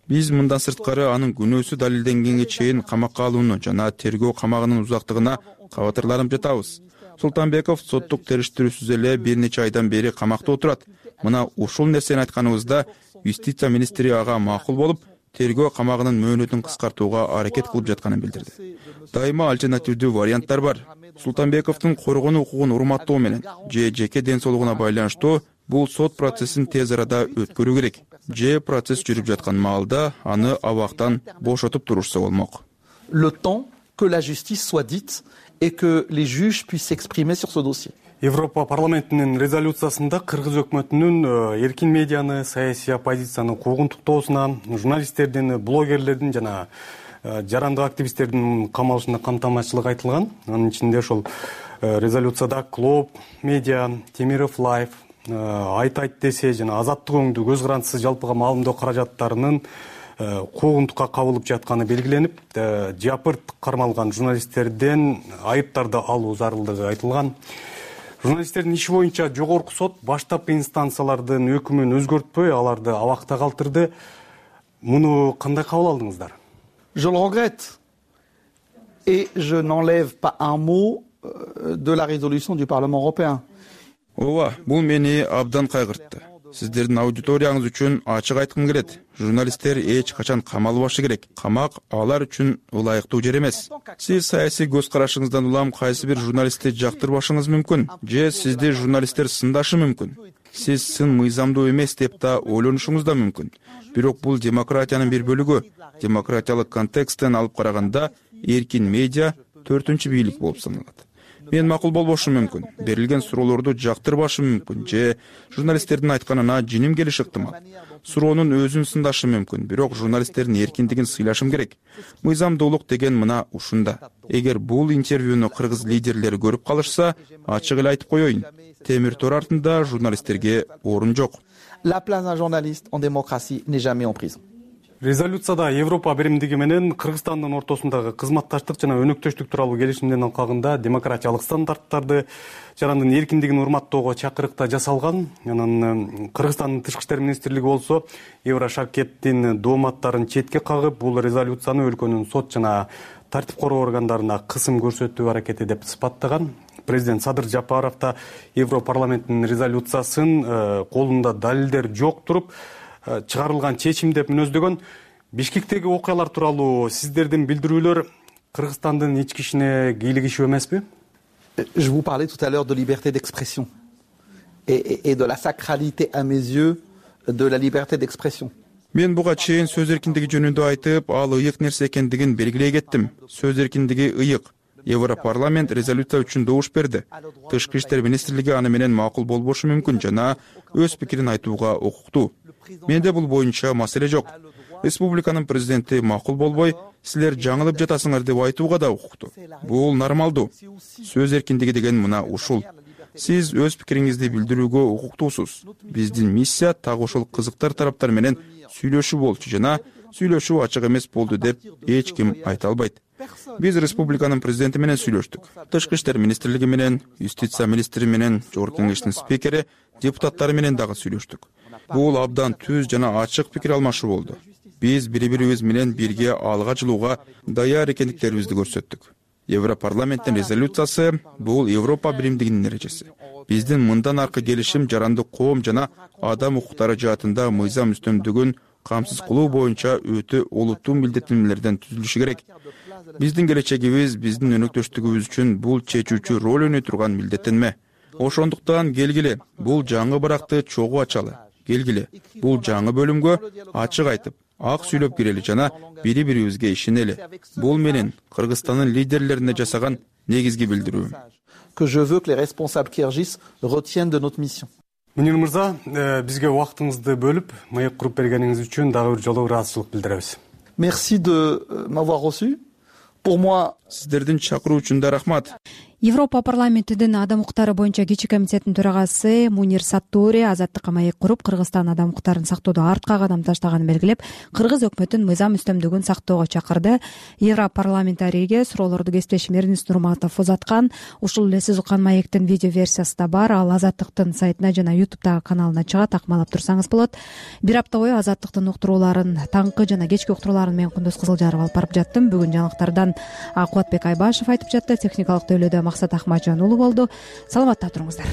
Биз мындан сырткары анын күнөөсү далилденгенге чейин камакка алууну жана тергөө камагынын узактыгына кабатырланып жатабыз. Султанбеков соттук териштирүүсүз эле бир нече айдан бери камакта отурат. Мына ушул нерсени айтканыбызда юстиция министри ага макул болуп, тергөө камагынын мөөнөтүн кыскартууга аракет кылып жатканын билдирди. Дайыма альтернативдүү варианттар бар. Султанбековдун коргонуу укугун урматтоо менен же жеке ден соолугуна байланыштуу бул сот процессин тез арада өткөрүү керек. Же процесс жүрүп жаткан маалда аны абактан бошотуп турушса болмок. Le temps que la justice soit dite et que les juges puissent s'exprimer sur ce dossier. Европа парламентинин резолюциясында Кыргыз өкмөтүнүн эркин медианы, саясий оппозицияны куугунтуктоосуна, журналисттердин, блогерлердин жана жарандык активисттердин камалышына камтамашчылык айтылган. Анын ичинде ошол резолюцияда Клоп медиа, Темиров Лайф, Айт айт десе жана азаттык өңдүү көз карандысыз жалпыга маалымдоо каражаттарынын куугунтукка кабылып жатканы белгиленип, жапырт кармалган журналисттерден айыптарды алуу зарылдыгы айтылган. Журналисттердин иши боюнча жогорку сот баштапкы инстанциялардын өкүмүн өзгөртпөй, аларды абакта калтырды. Муну кандай кабыл алдыңыздар? Je le regrette et je n'enlève pas un mot de la résolution du Parlement européen. Ооба, бул мени абдан кайгыртты. Сиздердин аудиторияңыз үчүн ачык айткым келет. Журналисттер эч качан камалбашы керек. Камак алар үчүн ылайыктуу жер эмес. Сиз саясий көз карашыңыздан улам кайсы бир журналистти жактырбашыңыз мүмкүн, же сизди журналисттер сындашы мүмкүн. Сиз сын мыйзамдуу эмес деп да ойлонушуңуз да мүмкүн. Бирок бул демократиянын бир бөлүгү. Демократиялык контексттен алып караганда эркин медиа төртүнчү бийлик болуп саналат. Мен макул болбошум мүмкүн, берилген суроолорду жактырбашым мүмкүн, же журналисттердин айтканына жиним келиши ыктымал. Суроонун өзүн сындашым мүмкүн, бирок журналисттердин эркиндигин сыйлашым керек. Мыйзамдуулук деген мына ушунда. Эгер бул интервьюну кыргыз лидерлери көрүп калышса, ачык эле айтып коеюн. Темир тор артында журналисттерге орун жок. La place d'un journaliste en démocratie n'est jamais en prison. Резолюцияда Европа биримдиги менен Кыргызстандын ортосундагы кызматташтык жана өнөктөштүк тууралуу келишимдин алкагында демократиялык стандарттарды, жарандын эркиндигин урматтоого чакырыкта жасалган. Анан Кыргызстандын тышкы иштер министрлиги болсо Еврошаркеттин дооматтарын четке кагып, бул резолюцияны өлкөнүн сот жана тартип короо органдарына кысым көрсөтүү аракети деп сыпаттаган. Президент Садыр Жапаров да Европарламенттин резолюциясын колунда далилдер жок туруп чыгарылган чечим деп мүнөздөгөн. Бишкектеги окуялар тууралуу сиздердин билдирүүлөр Кыргызстандын ички ишине кийлигишип эмеспи? Je vous parlais tout à l'heure de liberté d'expression et, et, et de la sacralité à mes yeux de la liberté d'expression. Мен буга чейин сөз эркиндиги жөнүндө айтып, ал ыйык нерсе экендигин белгилей кеттим. Сөз эркиндиги ыйык. Европарламент резолюция үчүн добуш берди. Тышкы иштер министрлиги аны менен макул болбошу мүмкүн жана өз пикирин айтууга укуктуу. Менде бул боюнча маселе жок. Республиканын президенти макул болбой, силер жаңылып жатасыңар деп айтууга да укуктуу. Бул нормалдуу. Сөз эркиндиги деген мына ушул. Сиз өз пикириңизди билдирүүгө укуктуусуз. Биздин миссия так ошол кызыктар тараптар менен сүйлөшүү болчу жана сүйлөшүү ачык эмес болду деп эч ким айта албайт. Биз республиканын президенти менен сүйлөштүк. Тышкы иштер министрлиги менен, юстиция министри менен, жогорку кеңештин спикери, депутаттары менен дагы сүйлөштүк. Бул абдан түз жана ачык пикир алмашуу болду. Биз бири-бирибиз менен бирге алга жылууга даяр экендиктерибизди көрсөттүк. Европарламенттин резолюциясы бул Европа биримдигинин эрежеси. Биздин мындан аркы келишим жарандык коом жана адам укуктары жаатында мыйзам үстөмдүгүн камсыз кылуу боюнча өтө олуттуу милдеттенмелерден түзүлүшү керек. биздин келечегибиз, биздин өнөктөштүгүбүз үчүн бул чечүүчү роль өнөй турган милдеттенме. Ошондуктан келгиле бул жаңы баракты чогуу ачалы. Келгиле бул жаңы бөлүмгө ачык айтып, ак сүйлөп кирели жана бири бирибизге ишенели. Бул менин Кыргызстандын лидерлерине жасаган негизги билдирүүм. Que je veux que les responsables Kyrgyz retiennent de notre mission. Мунир мырза, бизге убактыңызды бөлүп, маек куруп бергениңиз үчүн дагы бир жолу ыраазычылык билдиребиз. Merci de m'avoir reçu. Pour moi, сиздердин чакыруу үчүн да рахмат. Европа парламентинин адам укуктары боюнча кичи комитетинин төрагасы Мунир Саттуури азаттыкка маек куруп, Кыргызстан адам укуктарын сактоодо артка кадам таштаганын белгилеп, кыргыз өкмөтүн мыйзам үстөмдүгүн сактоого чакырды. Европарламентарийге суроолорду кесиптешим Эрнис Нурматов узаткан. Ушул эле сиз уккан маектин видео версиясы да бар. Ал Азаттыктын сайтына жана ютубтагы каналына чыгат, акмалап турсаңыз болот. Бир апта бою Азаттыктын уктурууларын, таңкы жана кечки уктурууларын мен Кундуз Кызылжаров алып барып жаттым. Бүгүн жаңылыктардан Кубатбек Айбашев айтып жатты. Техникалык тейлөөдө Максат Ахматжан уулу болду. Саламатта туруңуздар.